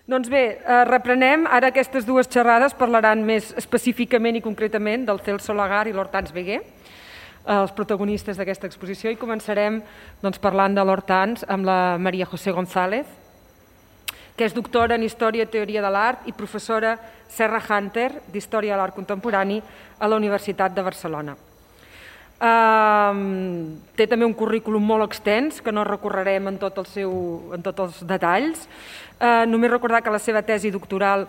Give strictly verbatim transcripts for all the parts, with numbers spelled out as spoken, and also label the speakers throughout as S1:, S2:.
S1: Doncs bé, reprenem. Ara aquestes dues xerrades parlaran més específicament i concretament del Celso Lagar i l'Hortans Veguer, els protagonistes d'aquesta exposició, i començarem parlant de l'Hortans amb la María José González, que és doctora en Història i Teoria de l'Art i professora Serra Hunter d'Història de l'Art Contemporani a la Universitat de Barcelona. Té també un currículum molt extens, que no recorrerem en tots els detalls. Només recordar que la seva tesi doctoral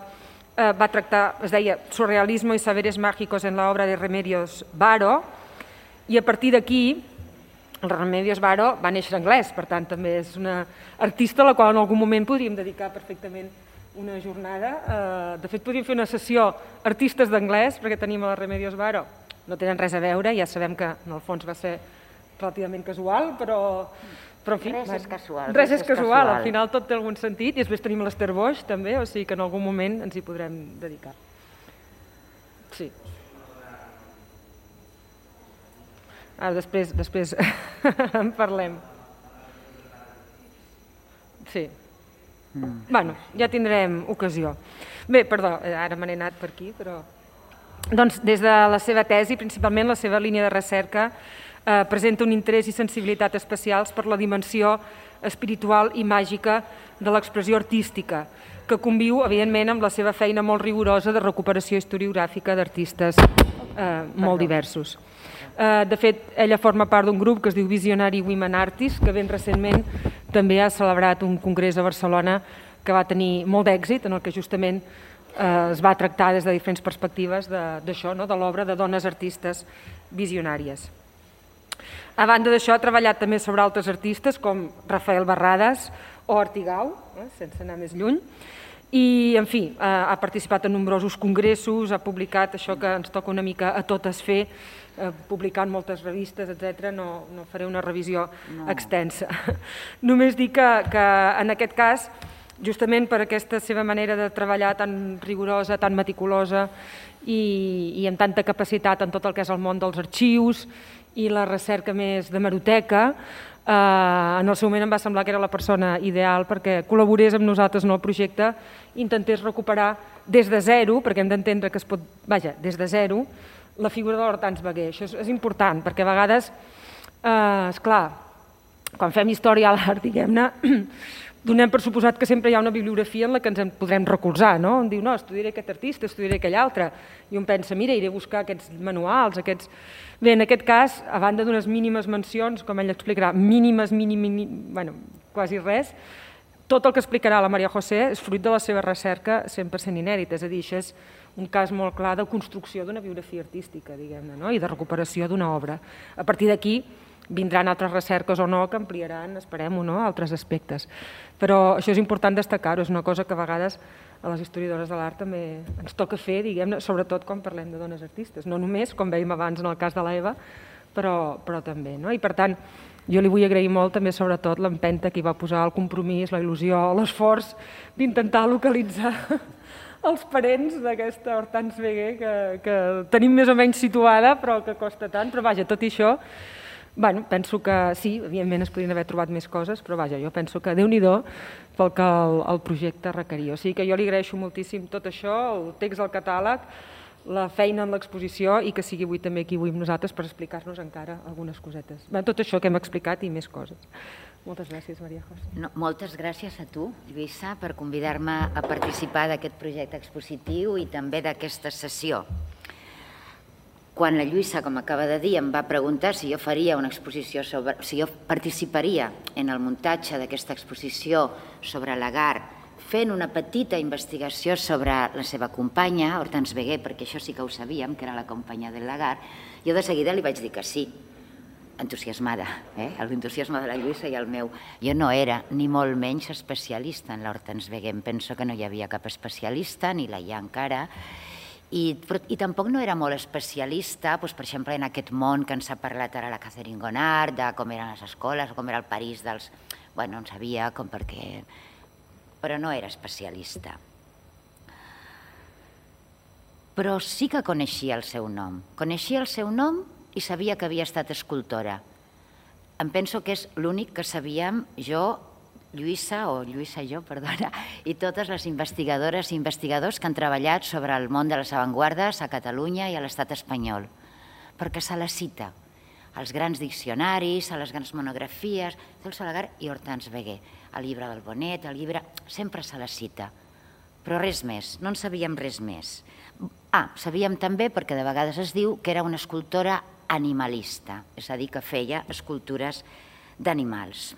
S1: va tractar, es deia Surrealismo y saberes mágicos en la obra de Remedios Varo, i a partir d'aquí, el Remedios Varo va néixer anglès, per tant també és una artista a la qual en algun moment podríem dedicar perfectament una jornada. De fet, podríem fer una sessió artistes d'anglès, perquè tenim a la Remedios Varo. No tenen res a veure, ja sabem que en el fons va ser relativament casual, però...
S2: Res és casual.
S1: Res és casual, al final tot té algun sentit, i després tenim l'Esther Boix també, o sigui que en algun moment ens hi podrem dedicar. Sí. Ara després, després en parlem. Sí. Bueno, ja tindrem ocasió. Bé, perdó, ara me n'he anat per aquí, però... Doncs des de la seva tesi, principalment la seva línia de recerca, presenta un interès i sensibilitat especials per la dimensió espiritual i màgica de l'expressió artística, que conviu, evidentment, amb la seva feina molt rigorosa de recuperació historiogràfica d'artistes molt diversos. De fet, ella forma part d'un grup que es diu Visionary Women Artists, que ben recentment també ha celebrat un congrés a Barcelona que va tenir molt d'èxit, en el que justament es va tractar des de diferents perspectives d'això, de l'obra de dones artistes visionàries. A banda d'això, ha treballat també sobre altres artistes com Rafael Barradas o Artigau, sense anar més lluny, i, en fi, ha participat en nombrosos congressos, ha publicat això que ens toca una mica a totes fer, publicant moltes revistes, etcètera. No faré una revisió extensa. Només dir que en aquest cas, justament per aquesta seva manera de treballar tan rigorosa, tan meticulosa i amb tanta capacitat en tot el que és el món dels arxius i la recerca més d'hemeroteca, en el seu moment em va semblar que era la persona ideal perquè col·laborés amb nosaltres en el projecte i intentés recuperar des de zero, perquè hem d'entendre que es pot, vaja, des de zero, la figura de l'Hortans Veguer. Això és important, perquè a vegades, esclar, quan fem història a l'art, diguem-ne, donem per suposat que sempre hi ha una bibliografia en la que ens en podrem recolzar, no? On diu, no, estudiaré aquest artista, estudiaré aquell altre, i un pensa, mira, iré a buscar aquests manuals, aquests... Bé, en aquest cas, a banda d'unes mínimes mencions, com ell explicarà, mínimes, mínimes, bueno, quasi res, tot el que explicarà la María José és fruit de la seva recerca cent per cent inèdita, és a dir, això és un cas molt clar de construcció d'una biografia artística, diguem-ne, no? I de recuperació d'una obra. A partir d'aquí, vindran altres recerques o no que ampliaran, esperem-ho, no?, altres aspectes. Però això és important destacar-ho, és una cosa que a vegades a les historiadores de l'art també ens toca fer, diguem-ne, sobretot quan parlem de dones artistes. No només, com veiem abans en el cas de l'Eva, però també, no? I per tant, jo li vull agrair molt també, sobretot, l'empenta que hi va posar, el compromís, la il·lusió, l'esforç d'intentar localitzar els parents d'aquesta Hortans Veguer que tenim més o menys situada, però que costa tant. Però vaja, tot i això, Bé, penso que sí, evidentment es podrien haver trobat més coses, però vaja, jo penso que Déu-n'hi-do pel que el projecte requeria. O sigui que jo li agraeixo moltíssim tot això, el text del catàleg, la feina en l'exposició i que sigui avui també aquí avui amb nosaltres per explicar-nos encara algunes cosetes. Tot això que hem explicat i més coses. Moltes gràcies, María José.
S2: Moltes gràcies a tu, Lluïssa, per convidar-me a participar d'aquest projecte expositiu i també d'aquesta sessió. Quan la Lluïssa, com acaba de dir, em va preguntar si jo faria una exposició sobre... si jo participaria en el muntatge d'aquesta exposició sobre Lagar, fent una petita investigació sobre la seva companya, Hortans Veguer, perquè això sí que ho sabíem, que era la companya del Lagar, jo de seguida li vaig dir que sí, entusiasmada, l'entusiasme de la Lluïssa i el meu. Jo no era ni molt menys especialista en l'Hortans Veguer, em penso que no hi havia cap especialista, ni la hi ha encara, i tampoc no era molt especialista, per exemple, en aquest món que ens ha parlat ara la Catherine Gonard, de com eren les escoles, o com era el París dels... Bueno, en sabia com perquè... però no era especialista. Però sí que coneixia el seu nom. Coneixia el seu nom i sabia que havia estat escultora. Em penso que és l'únic que sabíem jo Lluïsa, o Lluïsa jo, perdona, i totes les investigadores i investigadors que han treballat sobre el món de les avantguardes a Catalunya i a l'estat espanyol, perquè se la cita als grans diccionaris, a les grans monografies, Celso Lagar i Hortense Veguer, el llibre del Bonet, el llibre... sempre se la cita, però res més, no en sabíem res més. Ah, sabíem també, perquè de vegades es diu, que era una escultora animalista, és a dir, que feia escultures d'animals.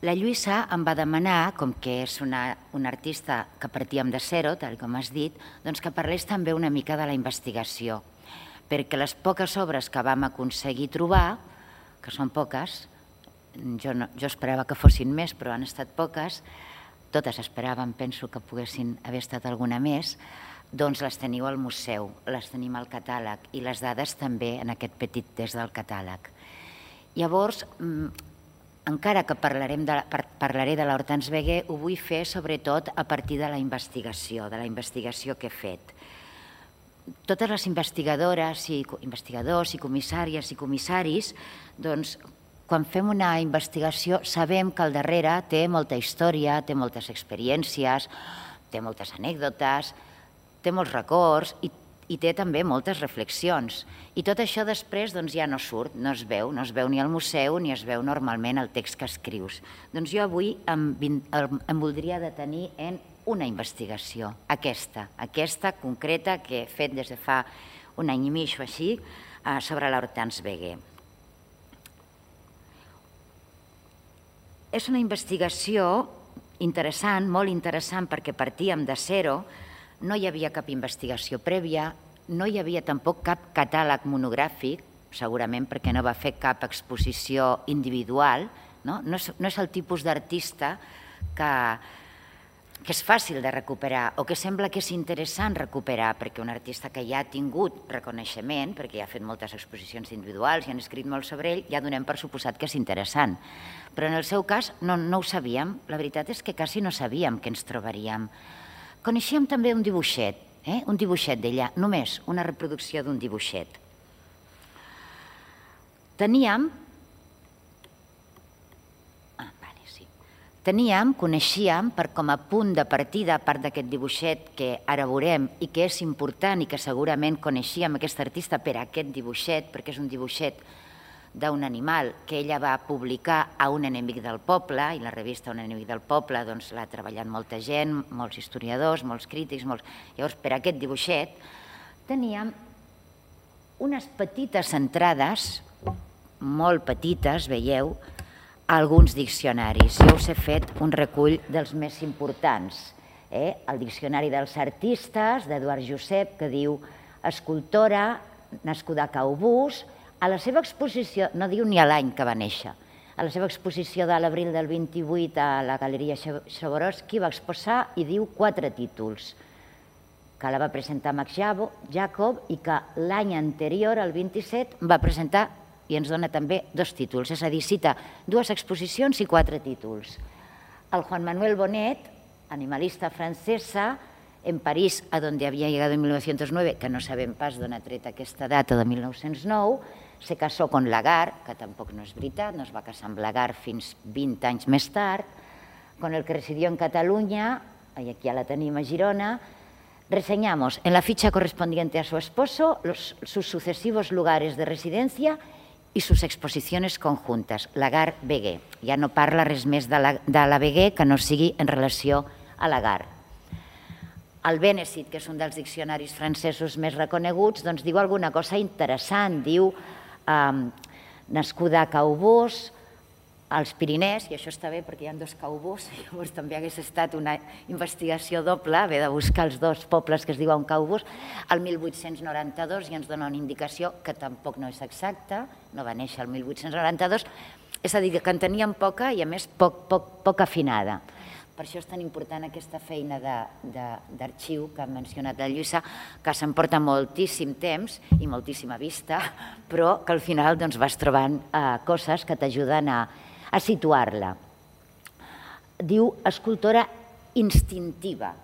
S2: La Lluïsa em va demanar, com que és una, una artista que partíem de zero, tal com has dit, doncs que parlés també una mica de la investigació, perquè les poques obres que vam aconseguir trobar, que són poques, jo, no, jo esperava que fossin més, però han estat poques, totes esperàvem, penso que poguessin haver estat alguna més, doncs les teniu al museu, les tenim al catàleg i les dades també en aquest petit test del catàleg. Llavors, encara que parlarem de, parlaré de l'Hortense Veguer, ho vull fer sobretot a partir de la investigació, de la investigació que he fet. Totes les investigadores i investigadors i comissàries i comissaris, doncs, quan fem una investigació sabem que al darrere té molta història, té moltes experiències, té moltes anècdotes, té molts records i i té també moltes reflexions. I tot això després ja no surt, no es veu, no es veu ni al museu ni es veu normalment el text que escrius. Doncs jo avui em voldria detenir en una investigació, aquesta, aquesta concreta que he fet des de fa un any i mig o així sobre l'Hortense Veguer. És una investigació interessant, molt interessant, perquè partíem de zero. No hi havia cap investigació prèvia, no hi havia tampoc cap catàleg monogràfic, segurament perquè no va fer cap exposició individual, no, no, és, no és el tipus d'artista que, que és fàcil de recuperar o que sembla que és interessant recuperar, perquè un artista que ja ha tingut reconeixement, perquè ja ha fet moltes exposicions individuals i han escrit molt sobre ell, ja donem per suposat que és interessant. Però en el seu cas no, no ho sabíem, la veritat és que quasi no sabíem què ens trobaríem. Coneixíem també un dibuixet, eh? un dibuixet d'ella, només una reproducció d'un dibuixet. Teníem, ah, vale, sí. Teníem, coneixíem, per com a punt de partida, a part d'aquest dibuixet que ara veurem i que és important i que segurament coneixíem aquesta artista per aquest dibuixet, perquè és un dibuixet d'un animal que ella va publicar a Un enemic del poble, i la revista Un enemic del poble l'ha treballat molta gent, molts historiadors, molts crítics, molts... Llavors, per aquest dibuixet, teníem unes petites entrades, molt petites, veieu, a alguns diccionaris. Jo us he fet un recull dels més importants. El Diccionari dels Artistes, d'Eduard Josep, que diu escultora, nascuda a Caubús. A la seva exposició, no diu ni l'any que va néixer, a la seva exposició de l'abril del vint-i-vuit a la Galeria Swarovski va exposar i diu quatre títols, que la va presentar Max Jacob i que l'any anterior, el vint-i-set, va presentar i ens dona també dos títols, és a dir, cita dues exposicions i quatre títols. El Juan Manuel Bonet, animalista francesa, en París, a donde había llegado en mil novecientos nueve, que no sabem pas d'on ha tret aquesta data de mil nou-cents nou, se casó con Lagar, que tampoc no és veritat, no es va casar amb Lagar fins vint anys més tard, con el que residió en Cataluña, y aquí ja la tenim a Girona. Reseñamos en la ficha correspondiente a su esposo los, sus sucesivos lugares de residencia y sus exposiciones conjuntas. Lagar Veguer. Ja no parla res més de la, de la Veguer que no sigui en relació a Lagar. El Benecit, que és un dels diccionaris francesos més reconeguts, doncs diu alguna cosa interessant. Diu nascuda a Caubús, als Pirinès, i això està bé perquè hi ha dos Caubús, llavors també hagués estat una investigació doble, haver de buscar els dos pobles que es diuen Caubús, el mil vuit-cents noranta-dos, i ens dona una indicació que tampoc no és exacta, no va néixer el mil vuit-cents noranta-dos, és a dir, que en teníem poca i a més poc, poc, poc afinada. Per això és tan important aquesta feina d'arxiu que ha mencionat la Lluïsa, que s'emporta moltíssim temps i moltíssima vista, però que al final vas trobant coses que t'ajuden a situar-la. Diu escultora instintiva.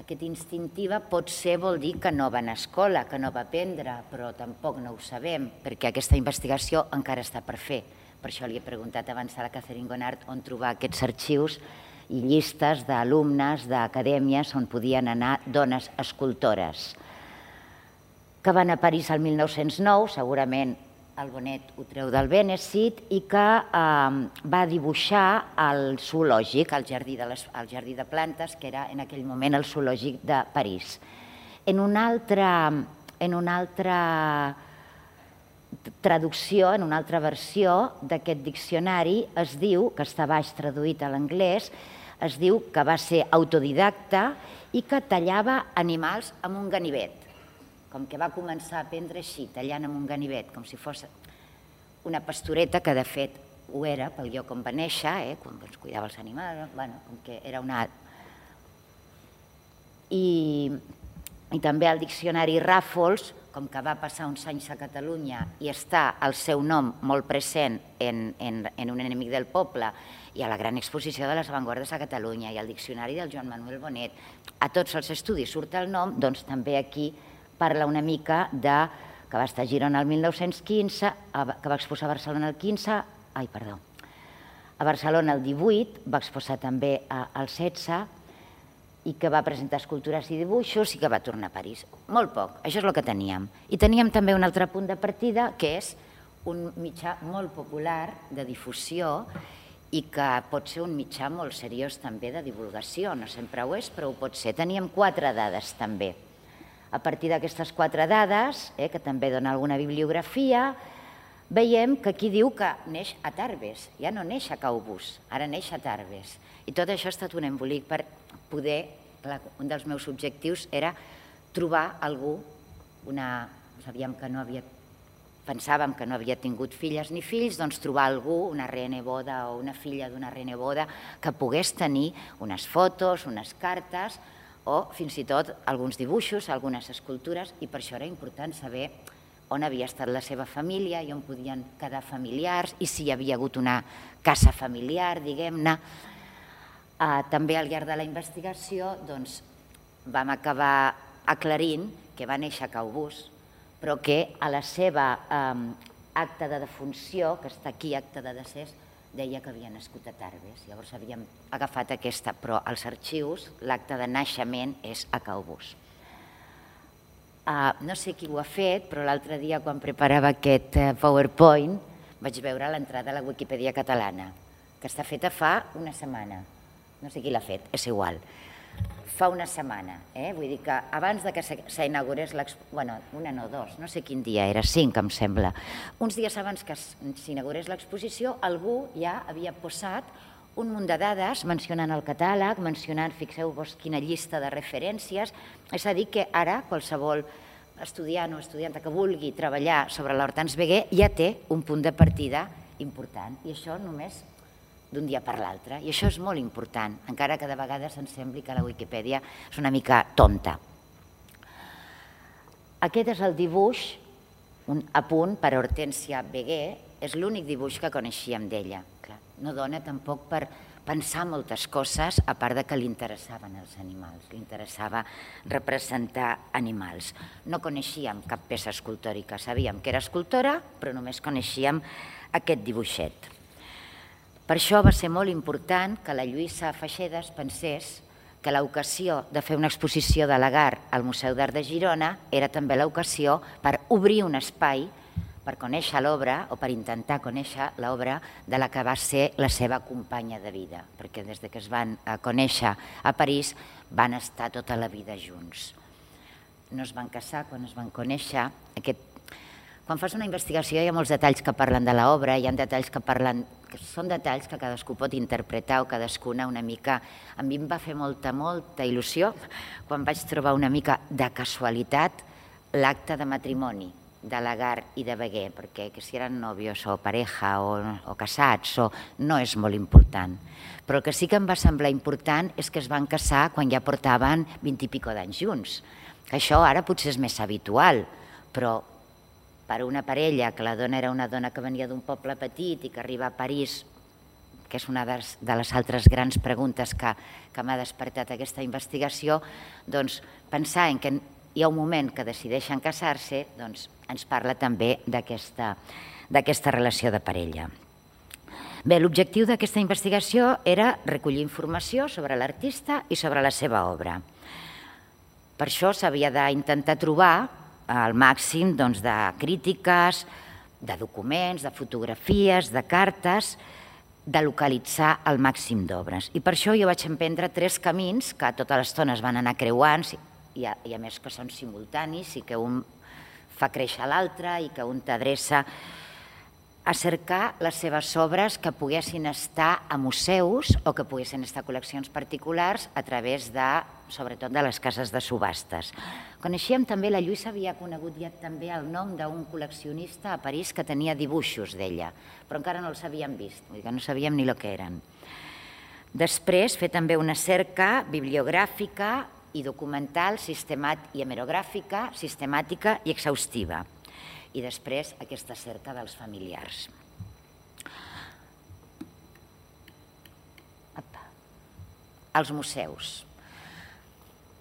S2: Aquest instintiva potser vol dir que no va anar a escola, que no va aprendre, però tampoc no ho sabem, perquè aquesta investigació encara està per fer. per això li he preguntat abans a la Catherine Gonard on trobar aquests arxius i llistes d'alumnes d'acadèmies on podien anar dones escultores, que van a París el mil nou-cents nou, segurament el Bonet ho treu del Benecit, i que va dibuixar el zoològic, el jardí de plantes, que era en aquell moment el zoològic de París. En una altra traducció, en una altra versió d'aquest diccionari, es diu, que està baix traduït a l'anglès, es diu que va ser autodidacta i que tallava animals amb un ganivet. Com que va començar a aprendre així, tallant amb un ganivet, com si fos una pastoreta, que de fet ho era pel lloc on va néixer, quan es cuidava els animals, com que era una... I també el diccionari Ràfols, com que va passar uns anys a Catalunya i està el seu nom molt present en Un enemic del poble i a la gran exposició de les avantguardes a Catalunya i al diccionari del Joan Manuel Bonet, a tots els estudis surt el nom, doncs també aquí parla una mica de que va estar a Girona el mil nou-cents quinze, que va exposar a Barcelona el quinze, ai, perdó, a Barcelona el divuit, va exposar també el setze, i que va presentar escultures i dibuixos i que va tornar a París. Molt poc, això és el que teníem. I teníem també un altre punt de partida, que és un mitjà molt popular de difusió i que pot ser un mitjà molt seriós també de divulgació, no sempre ho és, però ho pot ser. Teníem quatre dades també. A partir d'aquestes quatre dades, que també dona alguna bibliografia, veiem que aquí diu que neix a Tarbes, ja no neix a Caubús, ara neix a Tarbes. I tot això ha estat un embolic per poder, un dels meus objectius era trobar algú, una, sabíem que no havia, pensàvem que no havia tingut filles ni fills, doncs trobar algú, una reneboda o una filla d'una reneboda, que pogués tenir unes fotos, unes cartes, o fins i tot alguns dibuixos, algunes escultures, i per això era important saber on havia estat la seva família i on podien quedar familiars i si hi havia hagut una casa familiar, diguem-ne. També al llarg de la investigació vam acabar aclarint que va néixer a Caubús, però que a la seva acta de defunció, que està aquí, acta de decés, deia que havia nascut a Tarbes. Llavors havíem agafat aquesta, però als arxius l'acta de naixement és a Caubús. No sé qui ho ha fet, però l'altre dia quan preparava aquest PowerPoint vaig veure l'entrada a la Wikipedia catalana, que està feta fa una setmana. No sé qui l'ha fet, és igual. Fa una setmana, vull dir que abans que s'inaugurés l'exposició, bueno, una no, dos, no sé quin dia era, cinc em sembla, uns dies abans que s'inaugurés l'exposició, algú ja havia posat un munt de dades mencionant el catàleg, mencionant, fixeu-vos quina llista de referències, és a dir que ara qualsevol estudiant o estudianta que vulgui treballar sobre l'Hortense Veguer ja té un punt de partida important, i això només d'un dia per l'altre, i això és molt important, encara que de vegades ens sembli que la Wikipedia és una mica tonta. Aquest és el dibuix, un apunt per Hortènsia Veguer, és l'únic dibuix que coneixíem d'ella. No dona tampoc per pensar moltes coses, a part que li interessaven els animals, li interessava representar animals. No coneixíem cap peça escultòrica, sabíem que era escultora, però només coneixíem aquest dibuixet. Per això va ser molt important que la Lluïsa Feixedes pensés que l'ocasió de fer una exposició de Lagar al Museu d'Art de Girona era també l'ocasió per obrir un espai per conèixer l'obra o per intentar conèixer l'obra de la que va ser la seva companya de vida, perquè des que es van conèixer a París van estar tota la vida junts. No es van casar quan es van conèixer. Quan fas una investigació hi ha molts detalls que parlen de l'obra, hi ha detalls que parlen, que són detalls que cadascú pot interpretar o cadascuna una mica. A mi em va fer molta, molta il·lusió quan vaig trobar una mica de casualitat l'acte de matrimoni de Lagar i de Veguer, perquè si eren nòvios o pareja o casats no és molt important. Però el que sí que em va semblar important és que es van casar quan ja portaven vint i pico d'anys junts. Això ara potser és més habitual, però per una parella, que la dona era una dona que venia d'un poble petit i que arriba a París, que és una de les altres grans preguntes que m'ha despertat aquesta investigació, doncs pensar en que hi ha un moment que decideixen casar-se, doncs ens parla també d'aquesta relació de parella. Bé, l'objectiu d'aquesta investigació era recollir informació sobre l'artista i sobre la seva obra. Per això s'havia d'intentar trobar el màxim de crítiques, de documents, de fotografies, de cartes, de localitzar el màxim d'obres. I per això jo vaig emprendre tres camins que tota l'estona es van anar creuant, i a més que són simultanis i que un fa créixer l'altre i que un t'adreça a cercar les seves obres que poguessin estar a museus o que poguessin estar a col·leccions particulars a través de, sobretot, de les cases de subhastes. Coneixíem també, la Lluïsa havia conegut ja també el nom d'un col·leccionista a París que tenia dibuixos d'ella, però encara no els havíem vist, vull dir que no sabíem ni el que eren. Després, fer també una cerca bibliogràfica i documental, i hemerogràfica, sistemàtica i exhaustiva. I després aquesta cerca dels familiars. Els museus.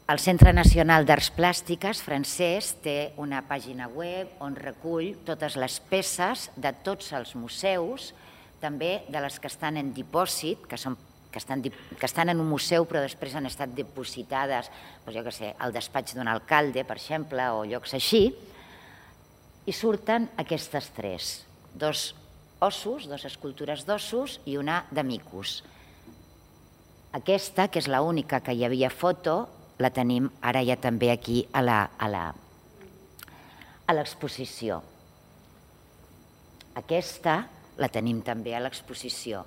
S2: El Centre Nacional d'Arts Plàstiques francès té una pàgina web on recull totes les peces de tots els museus, també de les que estan en dipòsit, que són que estan en un museu però després han estat dipositades, jo què sé, al despatx d'un alcalde, per exemple, o llocs així, i surten aquestes tres, dos ossos, dos escultures d'ossos i una de micos. Aquesta, que és l'única que hi havia foto, la tenim ara ja també aquí a l'exposició. Aquesta la tenim també a l'exposició.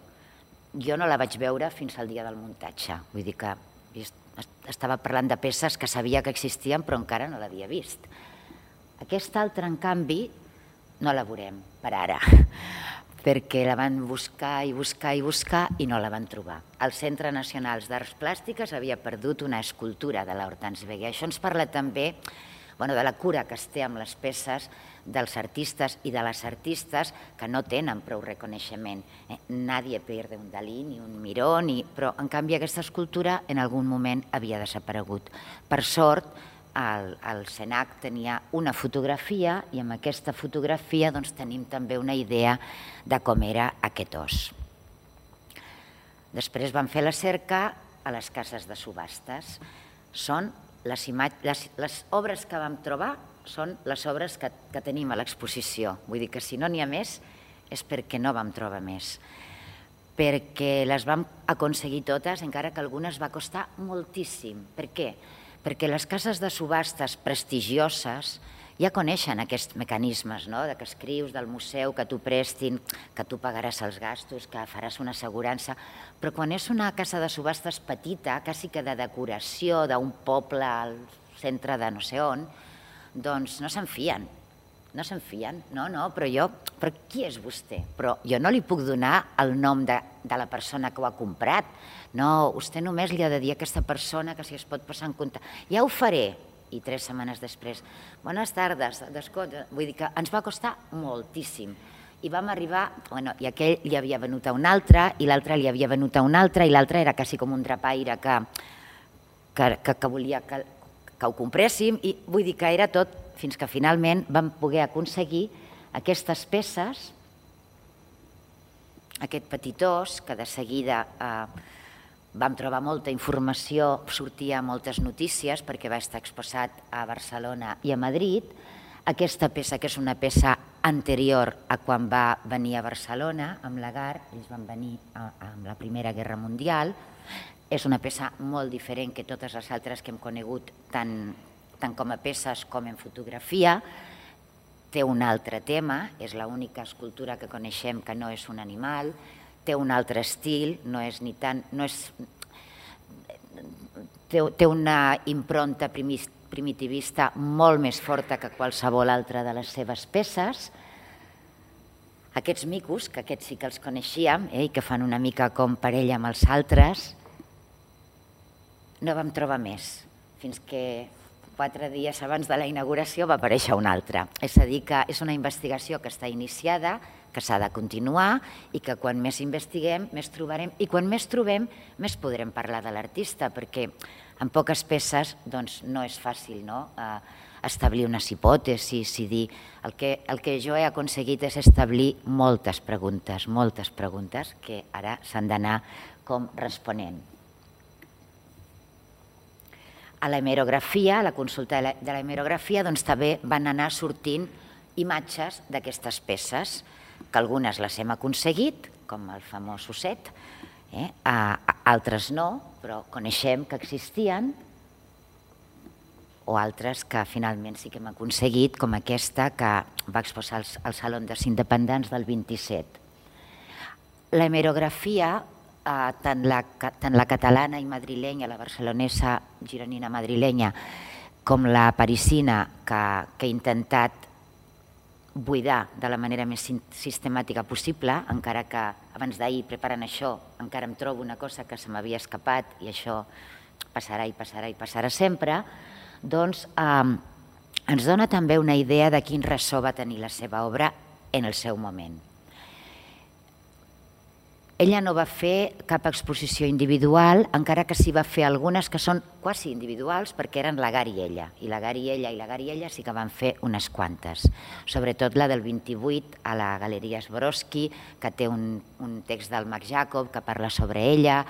S2: Jo no la vaig veure fins al dia del muntatge, vull dir que estava parlant de peces que sabia que existien però encara no l'havia vist. Aquesta altra, en canvi, no la veurem per ara, perquè la van buscar i buscar i buscar i no la van trobar. El Centre Nacional d'Arts Plàstiques havia perdut una escultura de l'Hortense Veguer. Això ens parla també de la cura que es té amb les peces dels artistes i de les artistes que no tenen prou reconeixement. Nadie pierde un Dalí ni un Miró, però en canvi aquesta escultura en algun moment havia desaparegut. Per sort, el CENAC tenia una fotografia i amb aquesta fotografia tenim també una idea de com era aquest os. Després vam fer la cerca a les cases de subhastes. Són les obres que vam trobar, són les obres que tenim a l'exposició. Vull dir que si no n'hi ha més és perquè no vam trobar més. Perquè les vam aconseguir totes, encara que algunes va costar moltíssim. Per què? Perquè les cases de subhastes prestigioses ja coneixen aquests mecanismes, que escrius del museu, que t'ho prestin, que tu pagaràs els gastos, que faràs una assegurança, però quan és una casa de subhastes petita, quasi que de decoració d'un poble al centre de no sé on, doncs no se'n fien. No se'n fien, no, no, però jo, però qui és vostè? Però jo no li puc donar el nom de la persona que ho ha comprat. No, vostè només li ha de dir a aquesta persona que si es pot posar en compte. Ja ho faré. I tres setmanes després, bones tardes, descompte. Vull dir que ens va costar moltíssim. I vam arribar, bueno, i aquell li havia venut a un altre, i l'altre li havia venut a un altre, i l'altre era quasi com un drapaire que volia que ho compréssim, i vull dir que era tot, fins que finalment vam poder aconseguir aquestes peces, aquest petit os, que de seguida vam trobar molta informació, sortia moltes notícies perquè va estar exposat a Barcelona i a Madrid. Aquesta peça, que és una peça anterior a quan va venir a Barcelona, amb l'Agar, ells van venir amb la Primera Guerra Mundial, és una peça molt diferent que totes les altres que hem conegut, tant com a peces com en fotografia. Té un altre tema, és l'única escultura que coneixem que no és un animal, té un altre estil, no és ni tant... té una impronta primitivista molt més forta que qualsevol altra de les seves peces. Aquests micos, que aquests sí que els coneixíem i que fan una mica com parella amb els altres, no vam trobar més, fins que quatre dies abans de la inauguració va aparèixer un altre. És a dir, que és una investigació que està iniciada, que s'ha de continuar i que quan més investiguem, més trobarem, i quan més trobem, més podrem parlar de l'artista, perquè en poques peces no és fàcil establir unes hipòtesis i dir... El que, el que jo he aconseguit és establir moltes preguntes, moltes preguntes que ara s'han d'anar com responent. A l'hemerografia, a la consulta de l'hemerografia, doncs també van anar sortint imatges d'aquestes peces, que algunes les hem aconseguit, com el famós osset, eh? altres no, però coneixem que existien, o altres que finalment sí que hem aconseguit, com aquesta que va exposar al Saló dels Independents del vint-i-set. L'hemerografia, tant la catalana i madrilenya, la barcelonesa gironina madrilenya, com la parisina, que he intentat buidar de la manera més sistemàtica possible, encara que abans d'ahir preparant això encara em trobo una cosa que se m'havia escapat i això passarà i passarà i passarà sempre, doncs ens dona també una idea de quin ressò va tenir la seva obra en el seu moment. Ella no va fer cap exposició individual, encara que sí va fer algunes que són quasi individuals perquè eren la Gar i ella, i la Gar i ella i la Gar i ella sí que van fer unes quantes, sobretot la del vint-i-vuit a la Galeria Swarovski, que té un text del Marc Jacob que parla sobre ella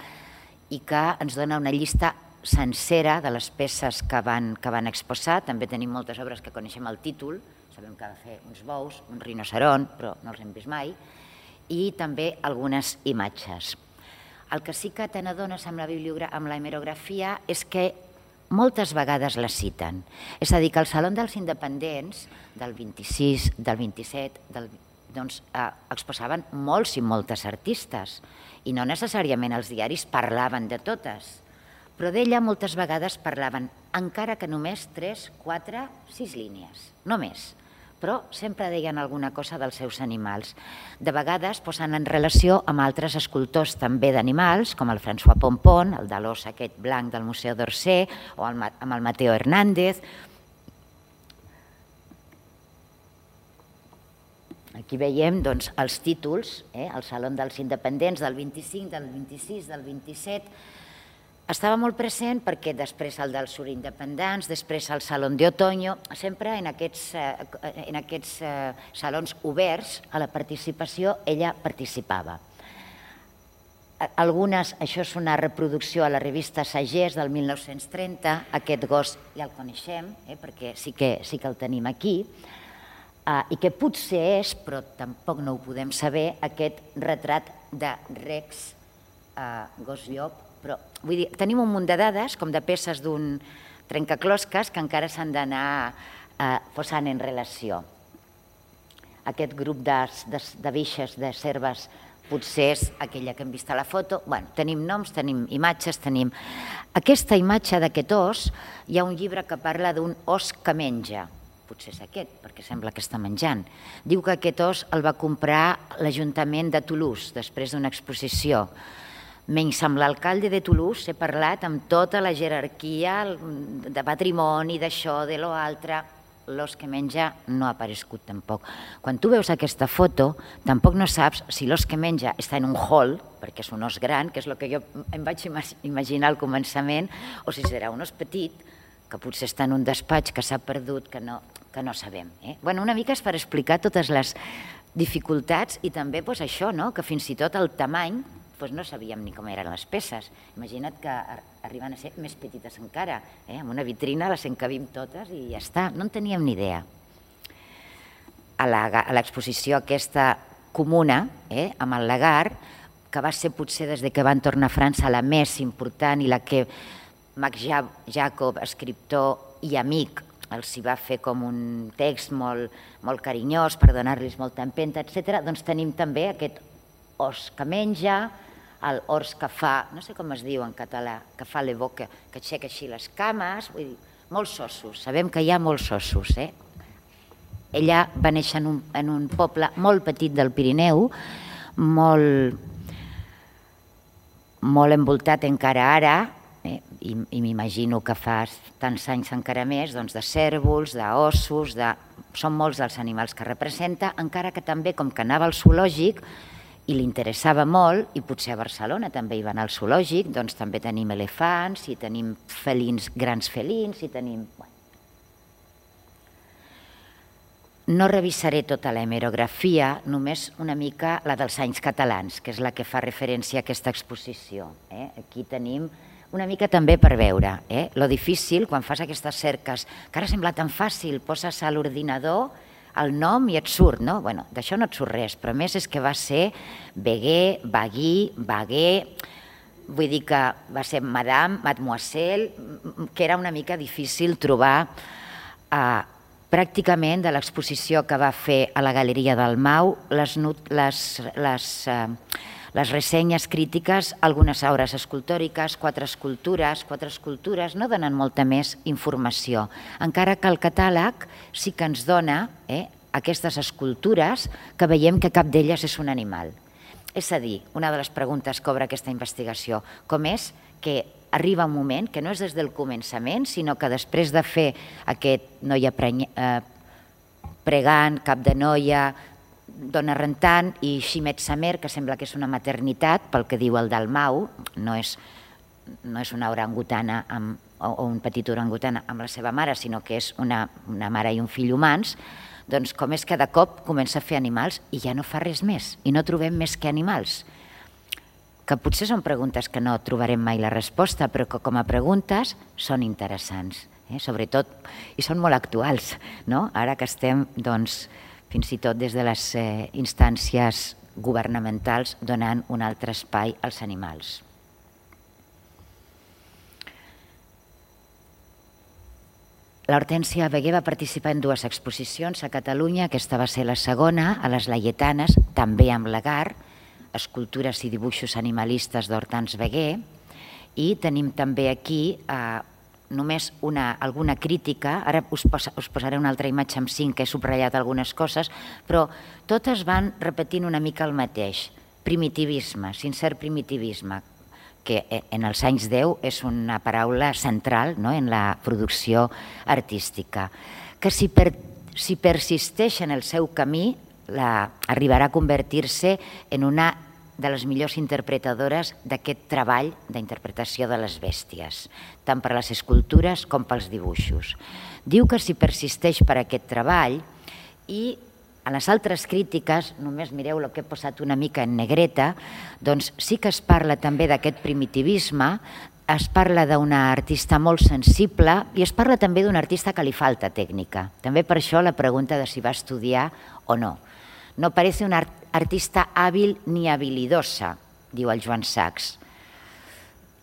S2: i que ens dona una llista sencera de les peces que van exposar. També tenim moltes obres que coneixem el títol, sabem que va fer uns bous, un rinoceron, però no els hem vist mai, i també algunes imatges. El que sí que te n'adones amb la hemerografia és que moltes vegades la citen. És a dir, que al Saló dels Independents del vint-i-sis, del vint-i-set, exposaven molts i moltes artistes i no necessàriament els diaris parlaven de totes, però d'ella moltes vegades parlaven, encara que només tres, quatre, sis línies, no més, però sempre deien alguna cosa dels seus animals. De vegades posen en relació amb altres escultors també d'animals, com el François Pompon, el de l'os aquest blanc del Museu d'Orsay, o amb el Mateo Hernández. Aquí veiem els títols, el Saló dels Independents del vint-i-cinc, del vint-i-sis, del vint-i-set. Estava molt present perquè després el dels Surindependents, després el Salón de Otoño, sempre en aquests salons oberts a la participació ella participava. Algunes, això és una reproducció a la revista Sagès del mil nou-cents trenta, aquest gos ja el coneixem perquè sí que el tenim aquí, i que potser és, però tampoc no ho podem saber, aquest retrat de Rex gos llop. Però tenim un munt de dades, com de peces d'un trencaclosques, que encara s'han d'anar posant en relació. Aquest grup de biixes, de serves, potser és aquella que hem vist a la foto. Bé, tenim noms, tenim imatges, tenim... Aquesta imatge d'aquest os, hi ha un llibre que parla d'un os que menja. Potser és aquest, perquè sembla que està menjant. Diu que aquest os el va comprar l'Ajuntament de Toulouse, després d'una exposició. Menys amb l'alcalde de Toulouse he parlat amb tota la jerarquia de patrimoni, d'això, de lo altre. L'os que menja no ha aparegut tampoc. Quan tu veus aquesta foto, tampoc no saps si l'os que menja està en un hall, perquè és un os gran, que és el que jo em vaig imaginar al començament, o si serà un os petit, que potser està en un despatx que s'ha perdut, que no sabem. Una mica és per explicar totes les dificultats i també això, que fins i tot el tamany no sabíem ni com eren les peces. Imagina't que arriben a ser més petites encara. Amb una vitrina les encabim totes i ja està. No en teníem ni idea. A l'exposició aquesta comuna, amb el Lagar, que va ser potser des que van tornar a França la més important i la que Marc Jacob, escriptor i amic, els hi va fer com un text molt carinyós per donar-los molta empenta, etcètera, doncs tenim també aquest os que menja, el ors que fa, no sé com es diu en català, que fa la boca, que aixeca així les cames, vull dir, molts ossos, sabem que hi ha molts ossos. Ella va néixer en un poble molt petit del Pirineu, molt envoltat encara ara, i m'imagino que fa tants anys encara més, de cèrvols, d'ossos, són molts els animals que representa, encara que també, com que anava al zoològic, i li interessava molt, i potser a Barcelona també hi va anar al zoològic, doncs també tenim elefants, i tenim felins, grans felins, i tenim... No revisaré tota la hemerografia, només una mica la dels anys catalans, que és la que fa referència a aquesta exposició. Aquí tenim una mica també per veure. Lo difícil, quan fas aquestes cerques, que ara sembla tan fàcil, poses a l'ordinador el nom i et surt, no? Bé, d'això no et surt res, però a més és que va ser Beguer, Baguí, Baguer, vull dir que va ser Madame, Mademoiselle, que era una mica difícil trobar pràcticament de l'exposició que va fer a la Galeria del Mau, les, les, les, les ressenyes crítiques, algunes obres escultòriques, quatre escultures, quatre escultures no donen molta més informació, encara que el catàleg sí que ens dona eh, aquestes escultures que veiem que cap d'elles és un animal. És a dir, una de les preguntes que obre aquesta investigació, com és que arriba un moment que no és des del començament, sinó que després de fer aquest noia pregant, cap de noia, dona rentant i Ximet Samer, que sembla que és una maternitat, pel que diu el Dalmau, no és, no és una orangutana amb, o un petit orangutana amb la seva mare, sinó que és una, una mare i un fill humans, doncs com és que de cop comença a fer animals i ja no fa res més, i no trobem més que animals. Que potser són preguntes que no trobarem mai la resposta, però que com a preguntes són interessants, eh? Sobretot, i són molt actuals, no? Ara que estem, doncs, fins i tot des de les eh, instàncies governamentals donant un altre espai als animals. L'Hortènsia Beguer va participar en dues exposicions a Catalunya, aquesta va ser la segona, a les Laietanes, també amb Lagar, escultures i dibuixos animalistes d'Hortens Beguer, i tenim també aquí eh, només una, alguna crítica, ara us, posa, us posaré una altra imatge amb cinc que he subratllat algunes coses, però totes van repetint una mica el mateix, primitivisme, sincer primitivisme, que en els anys deu és una paraula central no? En la producció artística, que si, per, si persisteix en el seu camí la, arribarà a convertir-se en una de les millors interpretadores d'aquest treball d'interpretació de les bèsties, tant per les escultures com pels dibuixos. Diu que si persisteix per aquest treball i a les altres crítiques, només mireu el que he posat una mica en negreta, doncs sí que es parla també d'aquest primitivisme, es parla d'una artista molt sensible i es parla també d'un artista que li falta tècnica. També per això la pregunta de si va estudiar o no. No parece una artista hábil ni habilidosa, diu el Joan Sachs.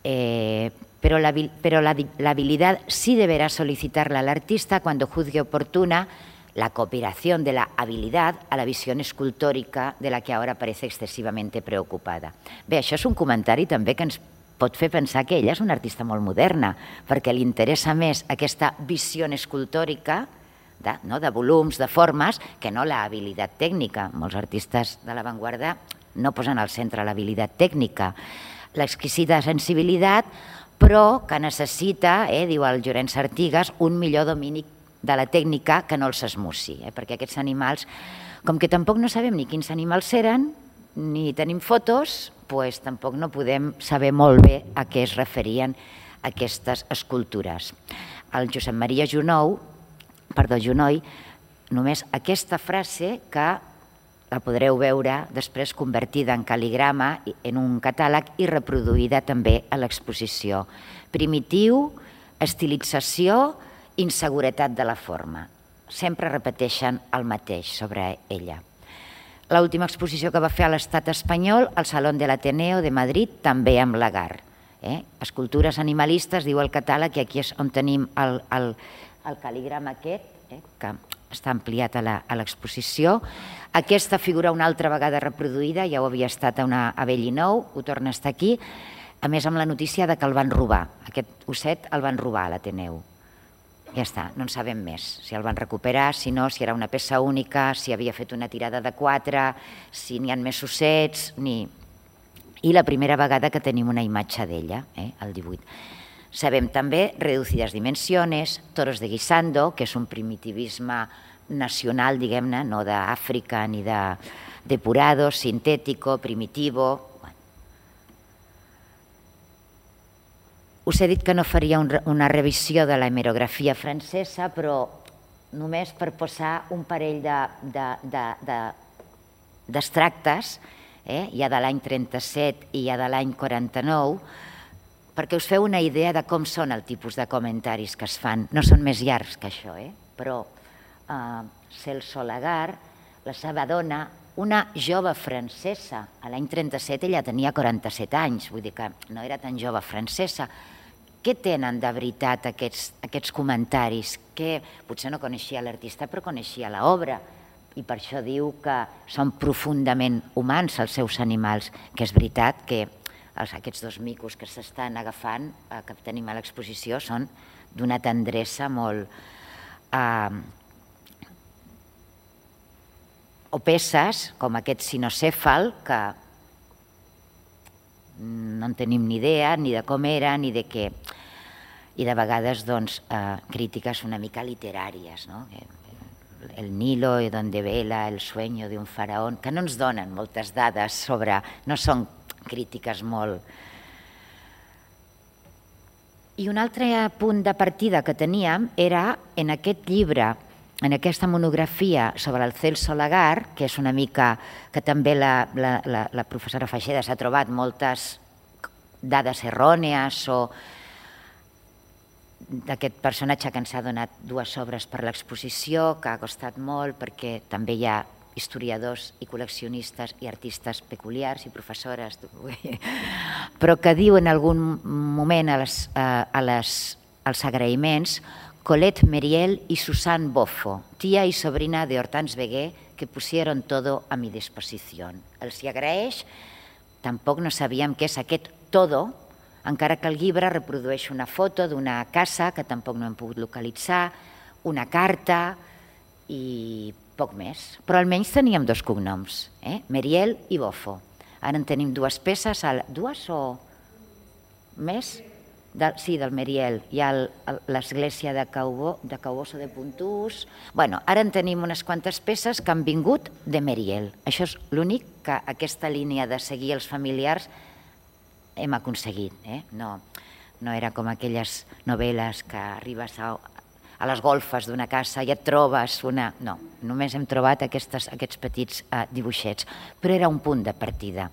S2: Eh, pero la, pero la, la habilidad sí deberá solicitarla al artista cuando juzgue oportuna la cooperación de la habilidad a la visión escultórica de la que ahora parece excesivamente preocupada. Bé, això és un comentari també que ens pot fer pensar que ella és una artista molt moderna, perquè li interessa més aquesta visió escultòrica de, no, de volums, de formes, que no la habilitat tècnica. Molts artistes de l'avantguarda no posen al centre l'habilitat tècnica. L'exquisita sensibilitat, però que necessita, eh, diu el Llorenç Artigas, un millor domini de la tècnica que no els esmussi, eh, perquè aquests animals, com que tampoc no sabem ni quins animals eren, ni tenim fotos, doncs tampoc no podem saber molt bé a què es referien aquestes escultures. El Josep Maria Junou, perdó, Junoy, només aquesta frase que la podreu veure després convertida en cal·ligrama en un catàleg i reproduïda també a l'exposició. Primitiu, estilització, inseguretat de la forma. Sempre repeteixen el mateix sobre ella. L'última exposició que va fer a l'Estat espanyol, al Salón de l'Ateneo de Madrid, també amb Lagar. Eh? Escultures animalistes, diu el catàleg, i aquí és on tenim el, el, el cal·ligrama aquest, eh? que està ampliat a l'exposició. Aquesta figura una altra vegada reproduïda, ja ho havia estat a, una, a Bellinou, ho torna a estar aquí, a més amb la notícia de que el van robar. Aquest osset el van robar a l'Ateneu. Ja està, no en sabem més, si el van recuperar, si no, si era una peça única, si havia fet una tirada de quatre, si n'hi ha més ossets, ni... I la primera vegada que tenim una imatge d'ella, eh, el divuit. Sabem també reducides dimensiones, toros de guisando, que és un primitivisme nacional, diguem-ne, no d'Àfrica ni de depurado, sintético, primitivo... Us he dit que no faria una revisió de la hemerografia francesa, però només per posar un parell d'extractes, hi ha de l'any trenta-set i hi ha de l'any quaranta-nou, perquè us feu una idea de com són el tipus de comentaris que es fan. No són més llargs que això, però Celso Lagar, la seva dona, una jove francesa, a l'any trenta-set ella tenia quaranta-set anys, vull dir que no era tan jove francesa. Què tenen de veritat aquests comentaris? Que potser no coneixia l'artista, però coneixia l'obra, i per això diu que són profundament humans els seus animals, que és veritat que aquests dos micos que s'estan agafant, que tenim a l'exposició, són d'una tendresa molt... o peces, com aquest cinocèfal, que no en tenim ni idea ni de com era, ni de què. I de vegades, doncs, crítiques una mica literàries, no? El Nilo, donde vela el sueño de un faraón, que no ens donen moltes dades sobre... no són crítiques molt... I un altre punt de partida que teníem era en aquest llibre, en aquesta monografia sobre el Celso Lagar, que és una mica que també la professora Feixeda s'ha trobat moltes dades errònies o d'aquest personatge que ens ha donat dues obres per l'exposició, que ha costat molt perquè també hi ha historiadors i col·leccionistes i artistes peculiars i professores, però que diu en algun moment als agraïments Colette Meriel y Susanne Boffo, tía y sobrina de Hortense Veguer, que pusieron todo a mi disposición. Els hi agraeix, tampoc no sabíem què és aquest todo, encara que el llibre reprodueix una foto d'una casa que tampoc no hem pogut localitzar, una carta i poc més. Però almenys teníem dos cognoms, Meriel i Boffo. Ara en tenim dues peces, dues o més? Sí, del Meriel. Hi ha l'església de Cauboso de Puntús. Bé, ara en tenim unes quantes peces que han vingut de Meriel. Això és l'únic que aquesta línia de seguir els familiars hem aconseguit. No era com aquelles novel·les que arribes a les golfes d'una casa i et trobes una... No, només hem trobat aquests petits dibuixets, però era un punt de partida.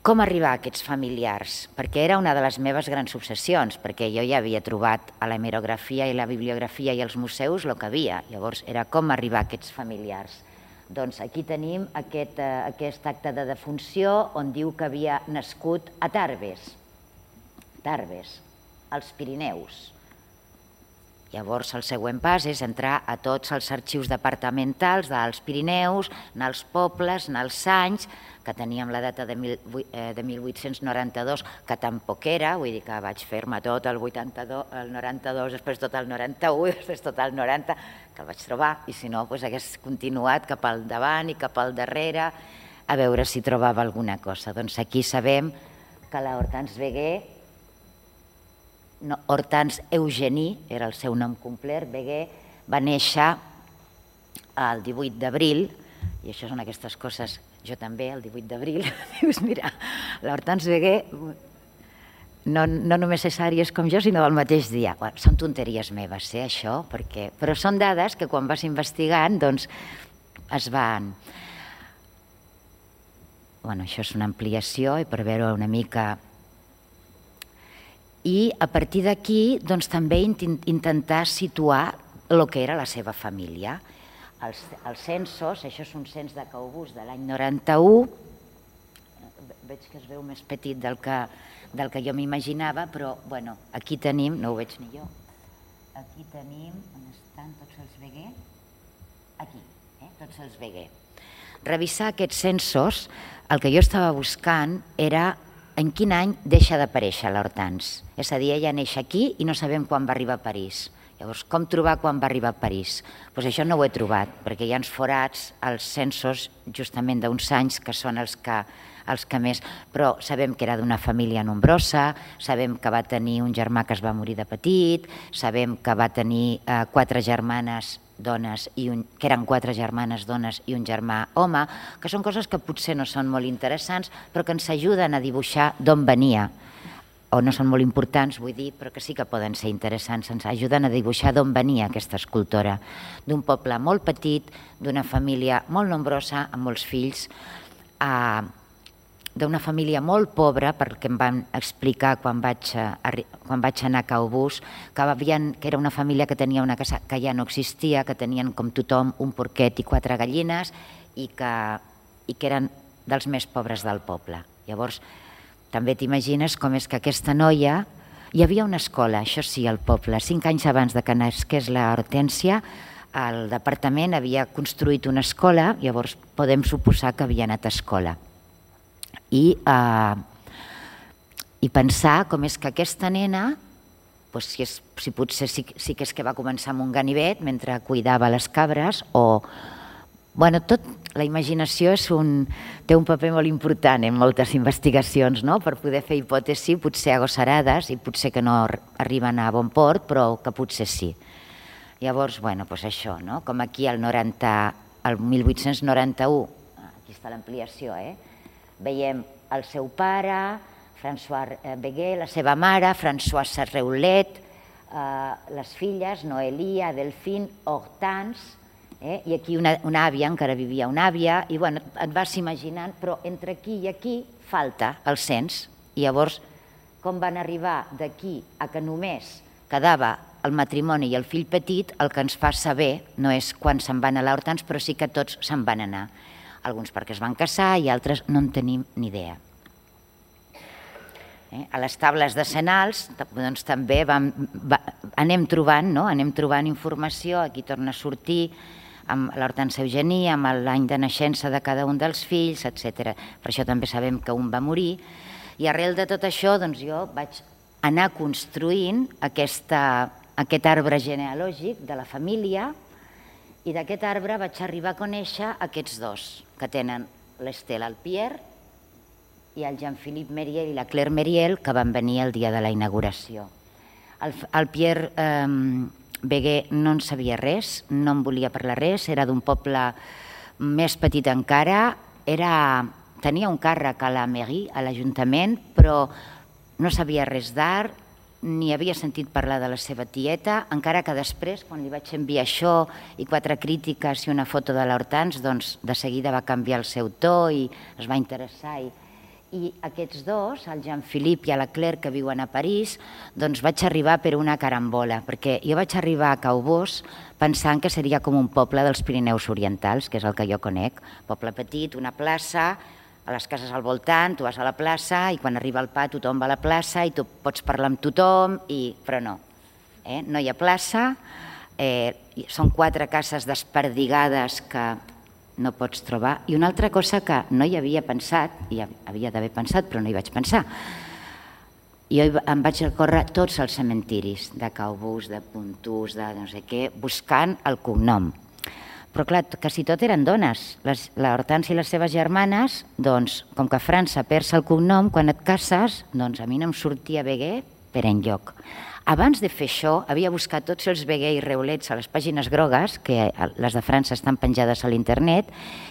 S2: Com arribar a aquests familiars? Perquè era una de les meves grans obsessions, perquè jo ja havia trobat a l'hemerografia i la bibliografia i als museus el que havia. Llavors era com arribar a aquests familiars. Doncs aquí tenim aquest acte de defunció on diu que havia nascut a Tarbes, Tarbes, als Pirineus. Llavors el següent pas és entrar a tots els arxius departamentals dels Pirineus, anar als pobles, anar als anys, que teníem la data de mil vuit-cents noranta-dos, que tampoc era, vull dir que vaig fer-me tot el noranta-dos, després tot el noranta-u, després tot el noranta, que el vaig trobar, i si no, hagués continuat cap al davant i cap al darrere, a veure si trobava alguna cosa. Doncs aquí sabem que la Hortense Veguer, Hortense Eugenie, era el seu nom complet, Veguer, va néixer el divuit d'abril, i això són aquestes coses, jo també, el divuit d'abril, dius, mira, l'Hortense Veguer no només és àries com jo, sinó del mateix dia. Són tonteries meves, eh, això, però són dades que quan vas investigant, doncs, es van... Bueno, això és una ampliació i per veure una mica... I a partir d'aquí, doncs, també intentar situar el que era la seva família. Els censos, això és un cens de Caubús de l'any noranta-u, veig que es veu més petit del que jo m'imaginava, però bueno, aquí tenim, no ho veig ni jo, aquí tenim, on estan tots els Veguer? Aquí, tots els Veguer. Revisar aquests censos, el que jo estava buscant era en quin any deixa d'aparèixer l'Hortense. És a dir, ella neix aquí i no sabem quan va arribar a París. Llavors, com trobar quan va arribar a París? Doncs això no ho he trobat, perquè hi ha uns forats als censos justament d'uns anys que són els que més... Però sabem que era d'una família nombrosa, sabem que va tenir un germà que es va morir de petit, sabem que va tenir quatre germanes dones, que eren quatre germanes dones i un germà home, que són coses que potser no són molt interessants, però que ens ajuden a dibuixar d'on venia o no són molt importants, vull dir, però que sí que poden ser interessants, ens ajuden a dibuixar d'on venia aquesta escultora, d'un poble molt petit, d'una família molt nombrosa, amb molts fills, d'una família molt pobra, perquè em van explicar quan vaig, quan vaig anar a Caubús, que, havien, que era una família que tenia una casa que ja no existia, que tenien com tothom un porquet i quatre gallines i que, i que eren dels més pobres del poble. Llavors, també t'imagines com és que aquesta noia... Hi havia una escola, això sí, al poble. Cinc anys abans de que nasqués la Hortènsia, el departament havia construït una escola, llavors podem suposar que havia anat a escola. I, eh, i pensar com és que aquesta nena, doncs si, és, si potser sí, sí que és que va començar amb un ganivet mentre cuidava les cabres, o... Bueno, tot, la imaginació és un, té un paper molt important en moltes investigacions, no? Per poder fer hipòtesis, potser agosarades i potser que no arriben a bon port, però que potser sí. Llavors, bueno, doncs això, no? Com aquí el, noranta, el mil vuit-cents noranta-u, aquí està l'ampliació, eh? Veiem el seu pare, François Béguet, la seva mare, François Sarreulet, eh, les filles, Noelia, Delphine, Hortense, Eh? I aquí una, una àvia, encara vivia una àvia, i bueno, et vas imaginant, però entre aquí i aquí falta el cens. I llavors, com van arribar d'aquí a que només quedava el matrimoni i el fill petit, el que ens fa saber no és quan se'n van a l'Hortens, però sí que tots se'n van anar. Alguns perquè es van casar i altres no en tenim ni idea. Eh? A les tables decenals doncs, també vam, va, anem trobant, no? anem trobant informació, aquí torna a sortir, amb l'Hortència Eugenie, amb l'any de naixença de cada un dels fills, etcètera. Per això també sabem que un va morir. I arrel de tot això doncs, jo vaig anar construint aquesta, aquest arbre genealògic de la família, i d'aquest arbre vaig arribar a conèixer aquests dos, que tenen l'Estelle Alpier i el Jean-Philippe Mériel i la Claire Mériel, que van venir el dia de la inauguració. El, el Pierre... Eh, Béguet no en sabia res, no en volia parlar res, era d'un poble més petit encara, era, tenia un càrrec a la mairie, a l'Ajuntament, però no sabia res d'art, ni havia sentit parlar de la seva tieta, encara que després, quan li vaig enviar això i quatre crítiques i una foto de l'Hortens, doncs de seguida va canviar el seu to i es va interessar. I, i aquests dos, el Jean-Philippe i la Claire, que viuen a París, doncs vaig arribar per una carambola, perquè jo vaig arribar a Caubós pensant que seria com un poble dels Pirineus Orientals, que és el que jo conec, poble petit, una plaça, a les cases al voltant, tu vas a la plaça i quan arriba el pa tothom va a la plaça i tu pots parlar amb tothom, i... però no, eh? no hi ha plaça, eh, són quatre cases desperdigades que no pots trobar. I una altra cosa que no hi havia pensat, i havia d'haver pensat però no hi vaig pensar, jo em vaig recórrer tots els cementiris de Caubús, de Pontús, de no sé què, buscant el cognom. Però clar, quasi tot eren dones. L'Hortència i les seves germanes, doncs, com que a França perds el cognom, quan et cases, doncs a mi no em sortia Béguet per enlloc. Abans de fer això, havia buscat tots els Béguet i Reulets a les pàgines grogues, que les de França estan penjades a l'internet,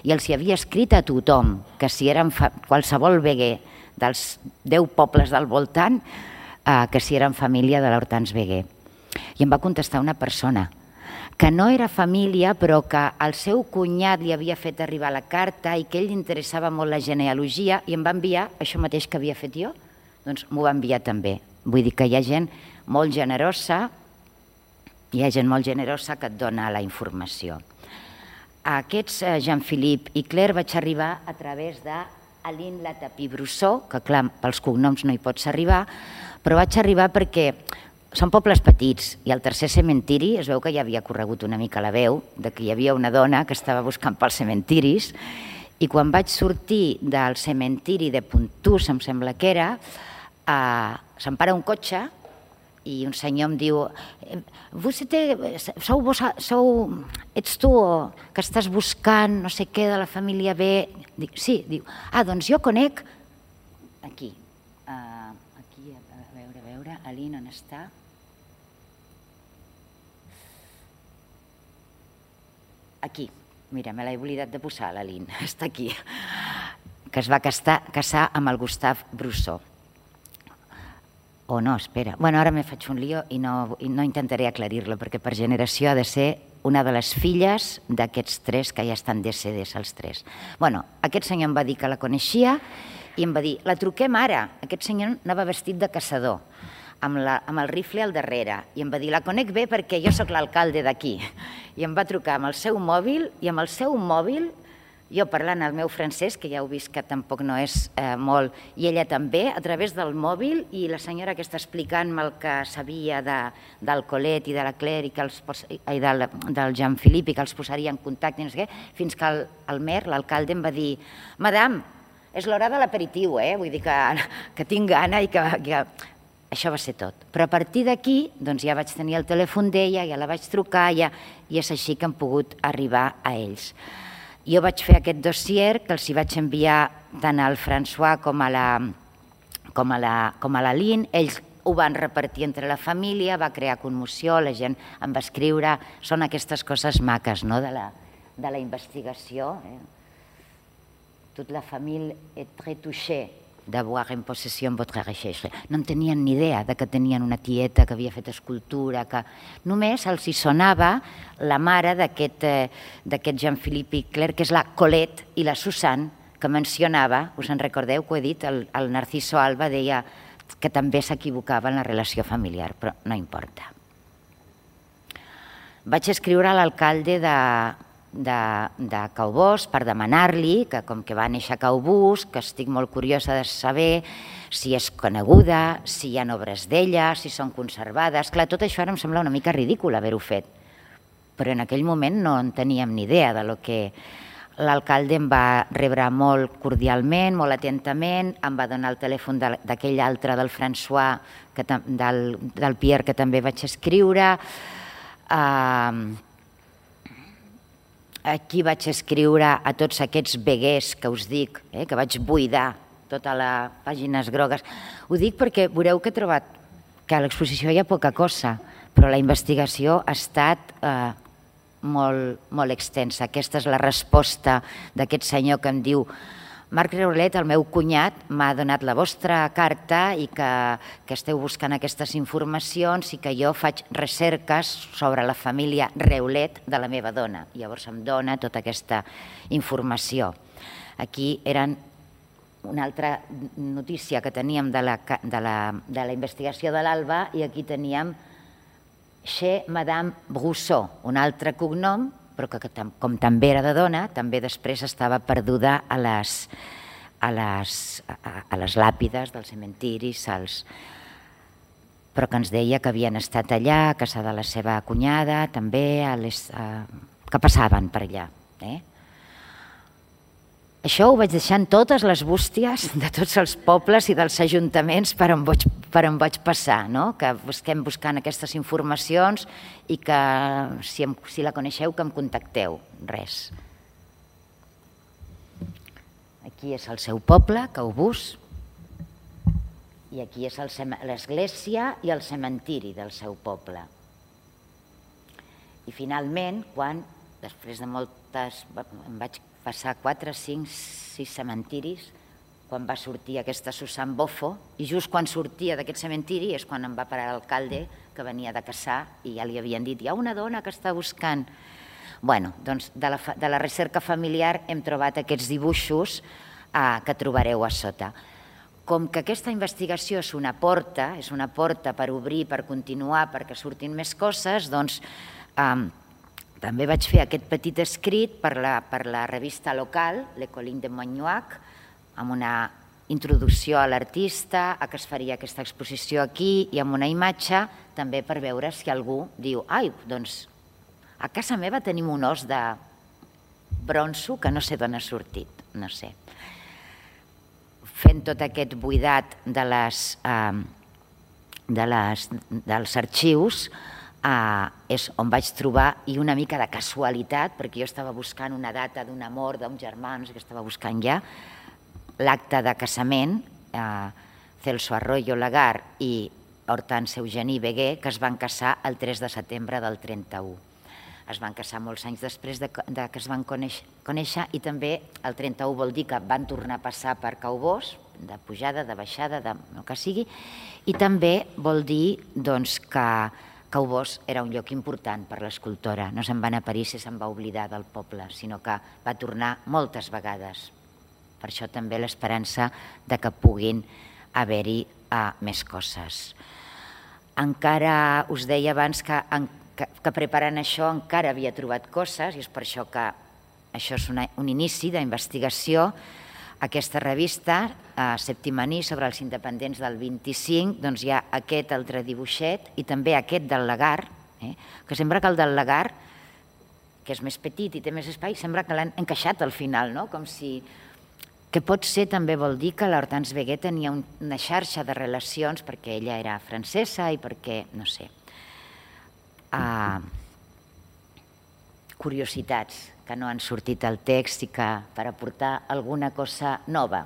S2: i els hi havia escrit a tothom que si eren qualsevol Béguet dels deu pobles del voltant, que si eren família de l'Hortense Béguet. I em va contestar una persona que no era família, però que el seu cunyat li havia fet arribar la carta i que ell li interessava molt la genealogia, i em va enviar això mateix que havia fet jo, doncs m'ho va enviar també. Vull dir que hi ha gent molt generosa, hi ha gent molt generosa que et dona la informació. A aquests Jean-Philippe i Claire vaig arribar a través d'Aline Latapie-Brousseau, que clar, pels cognoms no hi pots arribar, però vaig arribar perquè són pobles petits i al tercer cementiri es veu que ja havia corregut una mica la veu de que hi havia una dona que estava buscant pels cementiris, i quan vaig sortir del cementiri de Pontús, em sembla que era, se'm para un cotxe i un senyor em diu: sou vos, ets tu que estàs buscant no sé què de la família B? Dic, sí. Diu, ah, doncs jo conec aquí. Aquí, a veure, a veure, Aline, on està? Aquí. Mira, me l'he oblidat de posar, l'Aline. Està aquí. Que es va casar amb el Gustave Brousseau. o no, espera. Bueno, ara me faig un lío i no, i no intentaré aclarir-lo, perquè per generació ha de ser una de les filles d'aquests tres que ja estan decedits, els tres. Bueno, aquest senyor em va dir que la coneixia i em va dir, la truquem ara. Aquest senyor anava vestit de caçador, amb, la, amb el rifle al darrere, i em va dir, la conec bé perquè jo sóc l'alcalde d'aquí. I em va trucar amb el seu mòbil, i amb el seu mòbil, jo parlant el meu francès, que ja heu vist que tampoc no és eh, molt, i ella també, a través del mòbil, i la senyora que està explicant-me el que sabia de, del Colet i de la Claire i, que els pos, i del, del Jean-Philippe i que els posaria en contacte, i no sé què, fins que el, el mer, l'alcalde, em va dir, madame, és l'hora de l'aperitiu, eh? Vull dir que, que tinc gana i que, que... Això va ser tot. Però a partir d'aquí doncs ja vaig tenir el telèfon d'ella, ja la vaig trucar, ja, i és així que hem pogut arribar a ells. Jo vaig fer aquest dossier que els hi vaig enviar tant al François com a la, com a la, com a la Lynn. Ells ho van repartir entre la família, va crear commoció, la gent em va escriure. Són aquestes coses maques, no?, de la, de la investigació. Eh? Toute la famille est très touchée d'avoir en possessió votre recherche. No en tenien ni idea de que tenien una tieta que havia fet escultura, que només els hi sonava la mare d'aquest eh, Jean-Philippe i Claire, que és la Colette i la Susanne, que mencionava, us en recordeu que ho he dit, el, el Narciso Alba deia que també s'equivocava en la relació familiar, però no importa. Vaig escriure a l'alcalde de... de, de Caubós per demanar-li que, com que va néixer a Caubús, que estic molt curiosa de saber si és coneguda, si hi ha obres d'ella, si són conservades. Clar, tot això ara em sembla una mica ridícul haver-ho fet, però en aquell moment no en teníem ni idea de lo que... L'alcalde em va rebre molt cordialment, molt atentament, em va donar el telèfon d'aquell altre, del François, que, del, del Pierre, que també vaig escriure. Uh, Aquí vaig escriure a tots aquests veguers que us dic, eh, que vaig buidar totes les pàgines grogues. Ho dic perquè veureu que he trobat que a l'exposició hi ha poca cosa, però la investigació ha estat eh, molt, molt extensa. Aquesta és la resposta d'aquest senyor que em diu Marc Reulet, el meu cunyat, m'ha donat la vostra carta i que, que esteu buscant aquestes informacions i que jo faig recerques sobre la família Reulet de la meva dona. Llavors em dona tota aquesta informació. Aquí eren una altra notícia que teníem de la, de la, de la investigació de l'Alba i aquí teníem chez Madame Brousseau, un altre cognom, però que com també era de dona, també després estava perduda a les, a les, a les làpides dels cementiris, als... però que ens deia que havien estat allà, a casa de la seva cunyada, també, a les, a... que passaven per allà. Eh? Això ho vaig deixant totes les bústies de tots els pobles i dels ajuntaments per on vaig, per on vaig passar, no? Que busquem buscant aquestes informacions i que si, em, si la coneixeu que em contacteu, res. Aquí és el seu poble, Caubús, i aquí és l'església i el cementiri del seu poble. I finalment, quan, després de moltes... em vaig passar quatre, cinc, sis cementiris, quan va sortir aquesta Susan Bofo, i just quan sortia d'aquest cementiri és quan em va parar l'alcalde, que venia de caçar, i ja li havien dit, hi ha una dona que està buscant. Bueno, doncs de la, de la recerca familiar hem trobat aquests dibuixos eh, que trobareu a sota. Com que aquesta investigació és una porta, és una porta per obrir, per continuar, perquè surtin més coses, doncs... Eh, També vaig fer aquest petit escrit per la, per la revista local, Le Colline de Montgnoac, amb una introducció a l'artista, a què es faria aquesta exposició aquí i amb una imatge també per veure si algú diu ai, doncs a casa meva tenim un os de bronzo que no sé d'on ha sortit, no sé. Fent tot aquest buidat de les, eh, de les, dels arxius, Uh, és on vaig trobar, i una mica de casualitat, perquè jo estava buscant una data d'una mort d'un germà, no sé què estava buscant ja, l'acte de casament, uh, Celso Arroyo Lagar i Hortense Eugenie Beguer, que es van casar el tres de setembre del trenta-u. Es van casar molts anys després de, de que es van conèixer, conèixer i també el trenta-u vol dir que van tornar a passar per Caubós, de pujada, de baixada, del que sigui, i també vol dir que Caubós era un lloc important per l'escultora. No se'n va anar a París i se'n va oblidar del poble, sinó que va tornar moltes vegades. Per això també l'esperança que puguin haver-hi més coses. Encara us deia abans que preparant això encara havia trobat coses, i és per això que això és un inici d'investigació. Aquesta revista, Septimaní, sobre els independents del vint-i-cinc, doncs hi ha aquest altre dibuixet i també aquest del Lagar, que sembla que el del Lagar, que és més petit i té més espai, sembla que l'han encaixat al final, no? Com si... Que pot ser, també vol dir que l'Hortense Wegué tenia una xarxa de relacions perquè ella era francesa i perquè, no sé, curiositats que no han sortit al text i que per aportar alguna cosa nova.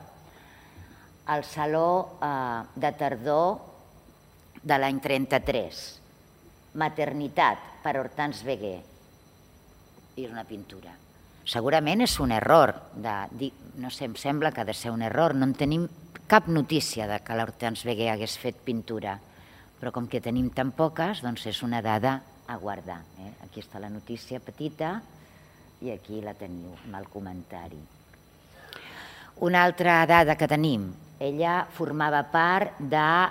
S2: El Saló de Tardor de l'any trenta-tres, Maternitat, per Hortense Wegué, i una pintura. Segurament és un error, no sé, em sembla que ha de ser un error, no en tenim cap notícia que l'Hortense Wegué hagués fet pintura, però com que tenim tan poques, doncs és una dada a guardar. Aquí està la notícia petita i aquí la teniu amb el comentari. Una altra dada que tenim, ella formava part de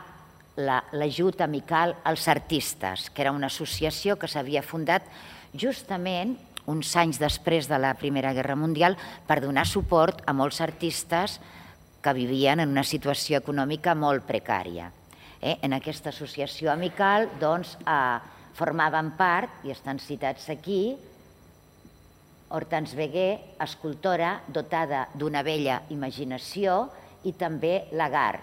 S2: l'Ajut Amical als Artistes, que era una associació que s'havia fundat justament uns anys després de la Primera Guerra Mundial per donar suport a molts artistes que vivien en una situació econòmica molt precària. En aquesta associació amical formaven part, i estan citats aquí, Hortense Wegué, escultora dotada d'una bella imaginació, i també Lagar,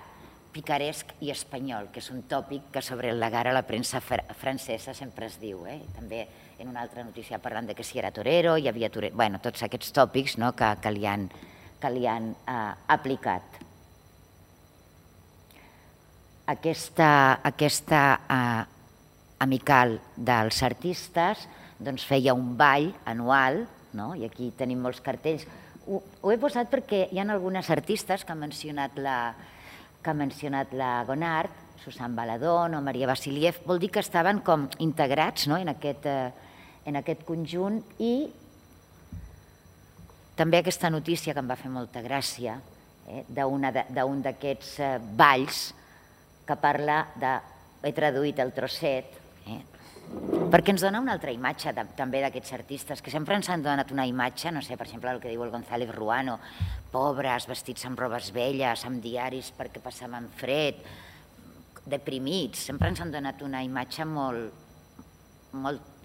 S2: picaresc i espanyol, que és un tòpic que sobre el Lagar a la premsa francesa sempre es diu. També en una altra notícia parlant que si era torero, hi havia torero... Bé, tots aquests tòpics que li han aplicat. Aquesta amical dels artistes feia un ball anual, i aquí tenim molts cartells. Ho he posat perquè hi ha algunes artistes que ha mencionat la que ha mencionat la Gonard, Susan Baladón o Maria Vasiliev, vol dir que estaven com integrats en aquest conjunt. I també aquesta notícia que em va fer molta gràcia d'un d'aquests balls que parla de... he traduït el trosset, perquè ens dona una altra imatge també d'aquests artistes, que sempre ens han donat una imatge, no sé, per exemple, el que diu el González Ruano, pobres, vestits amb robes velles, amb diaris perquè passaven fred, deprimits, sempre ens han donat una imatge molt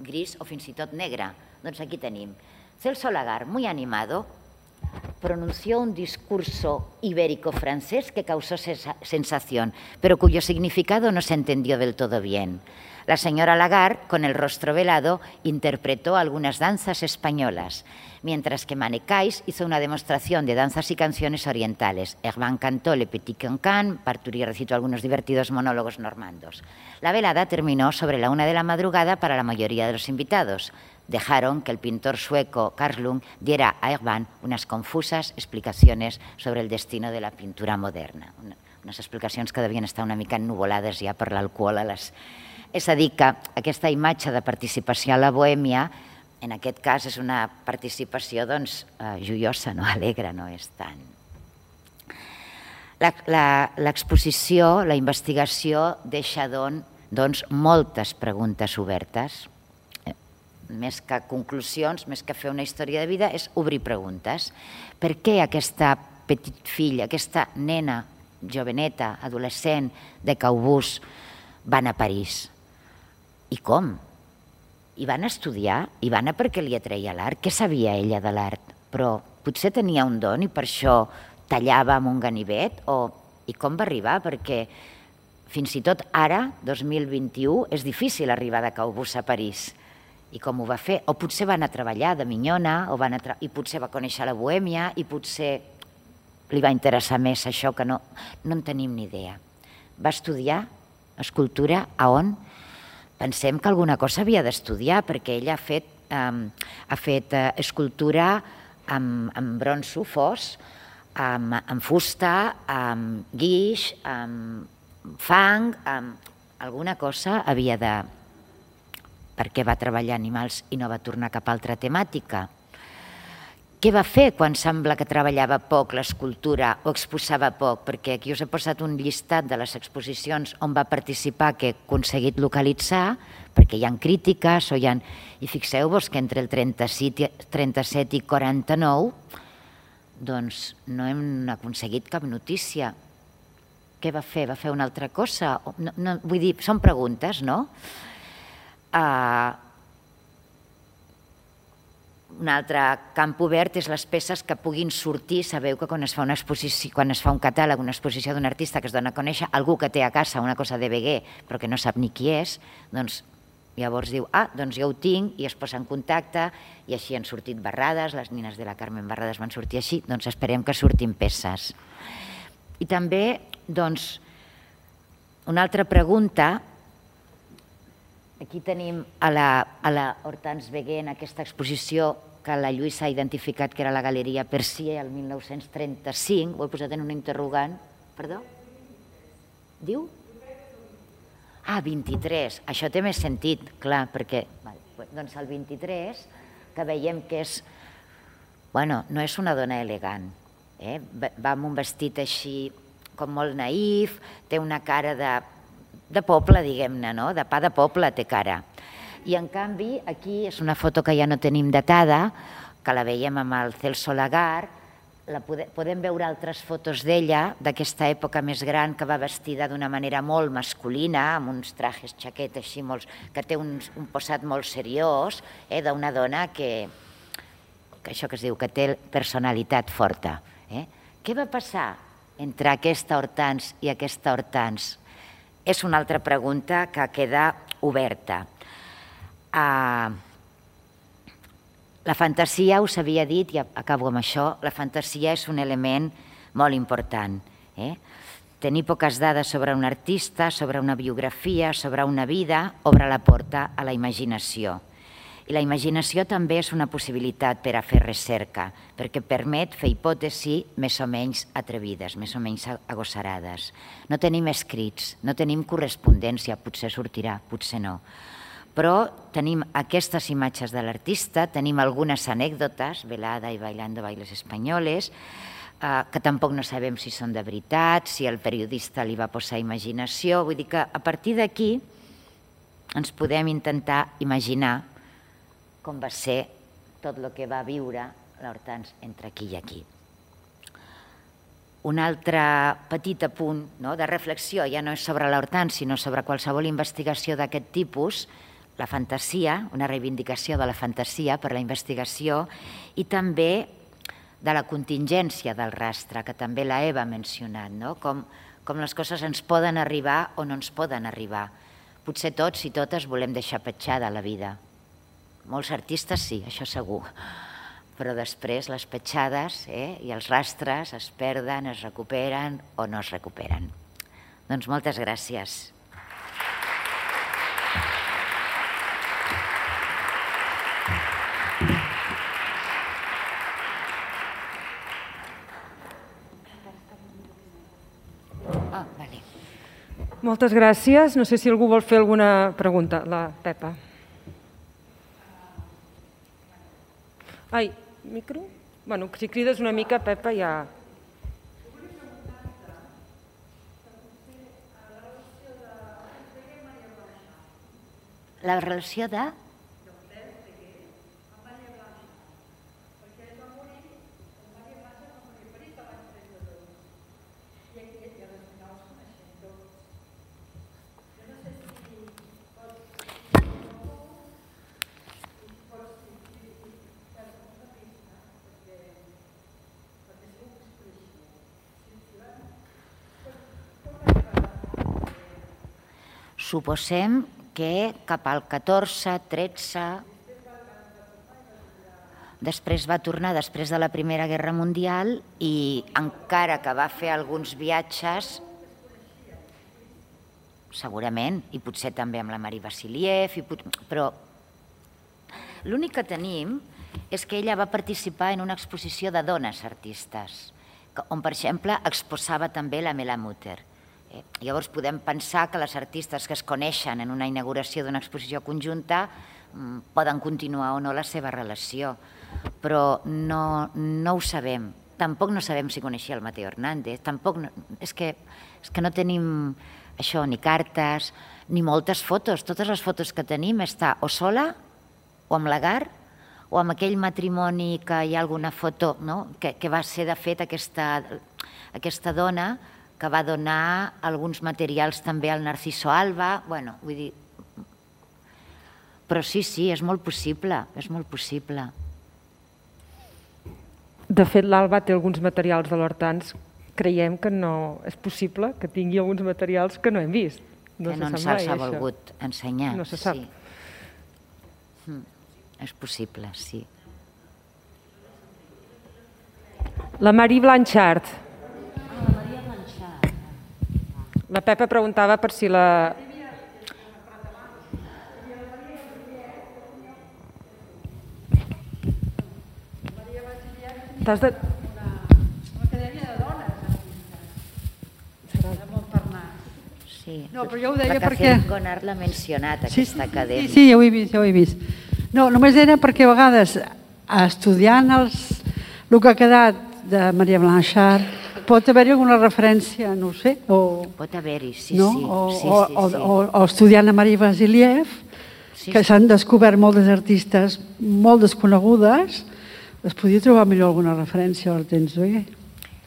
S2: gris o fins i tot negra. Doncs aquí tenim. Celso Lagar, muy animado, pronunció un discurso ibérico-francés que causó sensación, pero cuyo significado no se entendió del todo bien. La señora Lagar, con el rostro velado, interpretó algunas danzas españolas, mientras que Manecais hizo una demostración de danzas y canciones orientales. Herman cantó Le Petit Cancan, Parturi recitó algunos divertidos monólogos normandos. La velada terminó sobre la una de la madrugada para la mayoría de los invitados. Dejaron que el pintor sueco Carl Lung diera a Herman unas confusas explicaciones sobre el destino de la pintura moderna. Unes explicacions que devien estar una mica ennuvolades ja per l'alcohol a les... És a dir, que aquesta imatge de participació a la bohèmia, en aquest cas, és una participació joiosa, alegre, no és tant. L'exposició, la investigació, deixa moltes preguntes obertes. Més que conclusions, més que fer una història de vida, és obrir preguntes. Per què aquesta petit filla, aquesta nena joveneta, adolescent de Caubús, van a París? I com? I van estudiar? I van a perquè li atreia l'art? Què sabia ella de l'art? Però potser tenia un don i per això tallava amb un ganivet? I com va arribar? Perquè fins i tot ara, dos mil vint-i-u, és difícil arribar de Caubús a París. I com ho va fer? O potser va anar a treballar de minyona, i potser va conèixer la bohèmia, i potser li va interessar més això, que no en tenim ni idea. Va estudiar escultura a on? Pensem que alguna cosa havia d'estudiar, perquè ella ha fet escultura amb bronzo fos amb fusta, amb guix, amb fang, amb alguna cosa havia de... Per què va treballar animals i no va tornar cap a altra temàtica? Què va fer quan sembla que treballava poc l'escultura o exposava poc? Perquè aquí us he posat un llistat de les exposicions on va participar que he aconseguit localitzar, perquè hi ha crítiques o hi ha... I fixeu-vos que entre el trenta-set i quaranta-nou doncs no hem aconseguit cap notícia. Què va fer? Va fer una altra cosa? No, no, vull dir, són preguntes, no? Uh, un altre camp obert és les peces que puguin sortir. Sabeu que quan es fa una exposició, quan es fa un catàleg, una exposició d'un artista que es dona a conèixer, algú que té a casa una cosa de Beguer però que no sap ni qui és, doncs llavors diu, ah, doncs jo ho tinc, i es posa en contacte, i així han sortit Barrades, les nines de la Carmen Barrades van sortir així, doncs esperem que surtin peces. I també, doncs, una altra pregunta. Aquí tenim a la, a la Hortense Beguer en aquesta exposició que la Lluïsa ha identificat que era la Galeria Percier el mil nou-cents trenta-cinc, ho he posat en un interrogant. Perdó? Diu? Ah, vint-i-tres. Això té més sentit, clar, perquè doncs el vint-i-tres, que veiem que és... Bueno, no és una dona elegant, eh? Va amb un vestit així com molt naïf, té una cara de... de poble, diguem-ne, no? De pa de poble té cara. I en canvi, aquí és una foto que ja no tenim datada, que la veiem amb el Celso Lagar, la podem, podem veure altres fotos d'ella, d'aquesta època més gran, que va vestida d'una manera molt masculina, amb uns trajes xaquet així, molts, que té un, un posat molt seriós, eh? D'una dona que, que això que es diu, que té personalitat forta. Eh? Què va passar entre aquesta Hortense i aquesta Hortense? És una altra pregunta que queda oberta. Uh, la fantasia, us havia dit, i acabo amb això, la fantasia és un element molt important. Eh? Tenir poques dades sobre un artista, sobre una biografia, sobre una vida, obre la porta a la imaginació. I la imaginació també és una possibilitat per a fer recerca, perquè permet fer hipòtesis més o menys atrevides, més o menys agosarades. No tenim escrits, no tenim correspondència, potser sortirà, potser no. Però tenim aquestes imatges de l'artista, tenim algunes anècdotes, velada i bailando bailes espanyoles, que tampoc no sabem si són de veritat, si el periodista li va posar imaginació. Vull dir que a partir d'aquí ens podem intentar imaginar com va ser tot el que va viure l'Hortense entre aquí i aquí. Un altre petit apunt de reflexió, ja no és sobre l'Hortense, sinó sobre qualsevol investigació d'aquest tipus, la fantasia, una reivindicació de la fantasia per la investigació, i també de la contingència del rastre, que també la Eva ha mencionat, com les coses ens poden arribar o no ens poden arribar. Potser tots i totes volem deixar petjada la vida. Molts artistes sí, això segur, però després les petjades i els rastres es perden, es recuperen o no es recuperen. Doncs moltes gràcies.
S1: Moltes gràcies. No sé si algú vol fer alguna pregunta. La Pepa. Ai, micro? Bueno, si crides una mica, Pepa, ja...
S2: La relació de... Suposem que cap al catorze, tretze... Després va tornar, després de la Primera Guerra Mundial, i encara que va fer alguns viatges, segurament, i potser també amb la Marie Vassiliev, però l'únic que tenim és que ella va participar en una exposició de dones artistes, on, per exemple, exposava també la Mela Mutter. Llavors podem pensar que les artistes que es coneixen en una inauguració d'una exposició conjunta poden continuar o no la seva relació, però no, no ho sabem. Tampoc no sabem si coneixia el Mateo Hernández, tampoc no, és, que, és que no tenim això, ni cartes, ni moltes fotos. Totes les fotos que tenim està o sola, o amb l'Agar, o amb aquell matrimoni que hi ha alguna foto, no? que, que va ser, de fet, aquesta, aquesta dona que va donar alguns materials també al Narciso Alba, bueno, vull dir... Però sí, sí, és molt possible, és molt possible.
S1: De fet, l'Alba té alguns materials de l'Hortans. Creiem que no és possible que tingui alguns materials que no hem vist.
S2: No que no ens els ha volgut ensenyar.
S1: No se sap.
S2: Sí. Mm, és possible, sí.
S1: La Marie Blanchard.
S3: Ah, la Maria Blanchard.
S1: La Pepa preguntava per si la... T'has de...
S3: Una acadèmia de dones. Serà molt per anar.
S2: Sí.
S3: No, però jo ho deia
S2: la
S3: perquè...
S2: La Café Gonart l'ha mencionat, aquesta acadèmia.
S3: Sí, sí, ja ho he vist, ja ho he vist. No, només era perquè a vegades, estudiant els, el que ha quedat de Maria Blanchard, pot haver-hi alguna referència, no ho sé, o...
S2: Pot haver-hi, sí,
S3: no?
S2: sí.
S3: O,
S2: sí,
S3: o,
S2: sí,
S3: o,
S2: sí.
S3: o, o estudiant a Maria Vasiliev,
S2: sí,
S3: que
S2: sí.
S3: s'han descobert moltes artistes molt desconegudes, es podia trobar millor alguna referència a l'Hortens Veguer.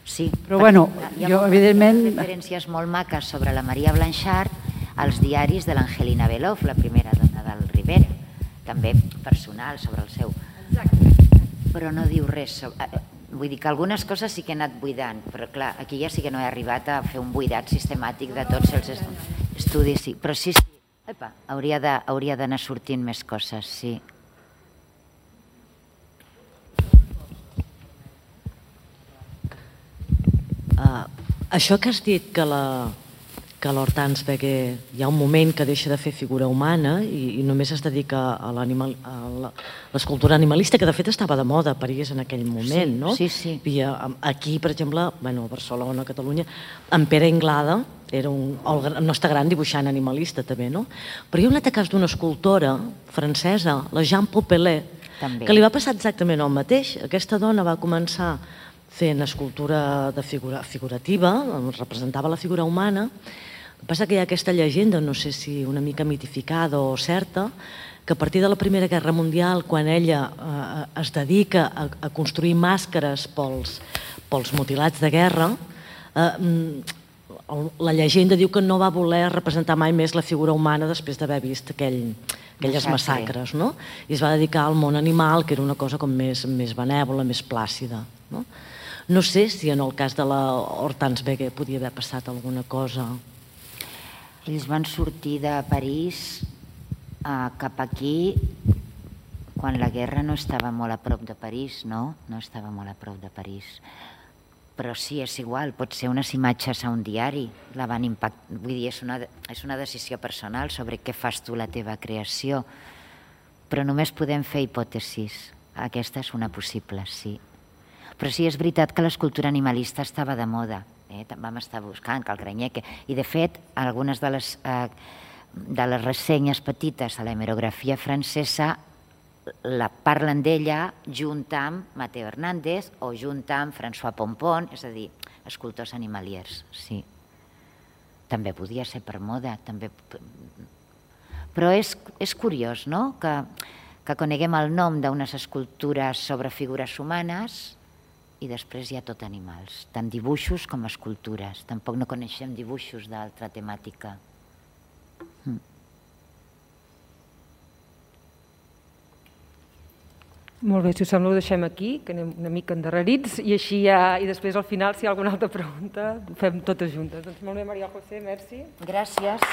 S2: Sí.
S3: Però bueno, jo evidentment...
S2: Hi ha referències molt maques sobre la Maria Blanchard als diaris de l'Angelina Beloff, la primera dona del Rivera, també personal sobre el seu... Però no diu res sobre... Vull dir que algunes coses sí que he anat buidant, però clar, aquí ja sí que no he arribat a fer un buidat sistemàtic de tots els estudis, sí. Però sí, sí, epa, hauria d'anar sortint més coses, sí.
S4: Uh, això que has dit que la que l'Hortens Veguer hi ha un moment que deixa de fer figura humana i, i només es dedica a l'escultura animalista, que de fet estava de moda a París en aquell moment, no?
S2: Sí, sí.
S4: I aquí, per exemple, bueno, a Barcelona, a Catalunya, en Pere Inglada era un el nostre gran dibuixant animalista també, no? Però hi ha un altre cas d'una escultora francesa, la Jean Popelé, que li va passar exactament el mateix. Aquesta dona va començar fent escultura de figura, figurativa, representava la figura humana. El que passa que hi ha aquesta llegenda, no sé si una mica mitificada o certa, que a partir de la Primera Guerra Mundial, quan ella eh, es dedica a, a construir màscares pels, pels mutilats de guerra, eh, la llegenda diu que no va voler representar mai més la figura humana després d'haver vist aquell, aquelles massacres, no? I es va dedicar al món animal, que era una cosa com més, més benèvola, més plàcida, no? No sé si en el cas de la Hortens Veguer podia haver passat alguna cosa.
S2: Ells van sortir de París cap aquí quan la guerra no estava molt a prop de París, no? No estava molt a prop de París. Però sí, és igual, pot ser unes imatges a un diari, la van impactar, vull dir, és una, és una decisió personal sobre què fas tu la teva creació, però només podem fer hipòtesis. Aquesta és una possible, sí. Però sí, és veritat que l'escultura animalista estava de moda. Eh? Vam estar buscant que el Granyer... I, de fet, algunes de les, eh, de les ressenyes petites a l'hemerografia francesa la parlen d'ella junt amb Mateo Hernández o junt amb François Pompon, és a dir, escultors animaliers, sí. També podia ser per moda, també... Però és, és curiós, no?, que, que coneguem el nom d'unes escultures sobre figures humanes i després hi ha tot animals, tant dibuixos com escultures. Tampoc no coneixem dibuixos d'altra temàtica. Mm.
S1: Molt bé, si us sembla ho deixem aquí, que anem una mica endarrerits, i així ja, i després al final, si hi ha alguna altra pregunta, ho fem totes juntes. Doncs molt bé, Maria José, merci.
S2: Gràcies.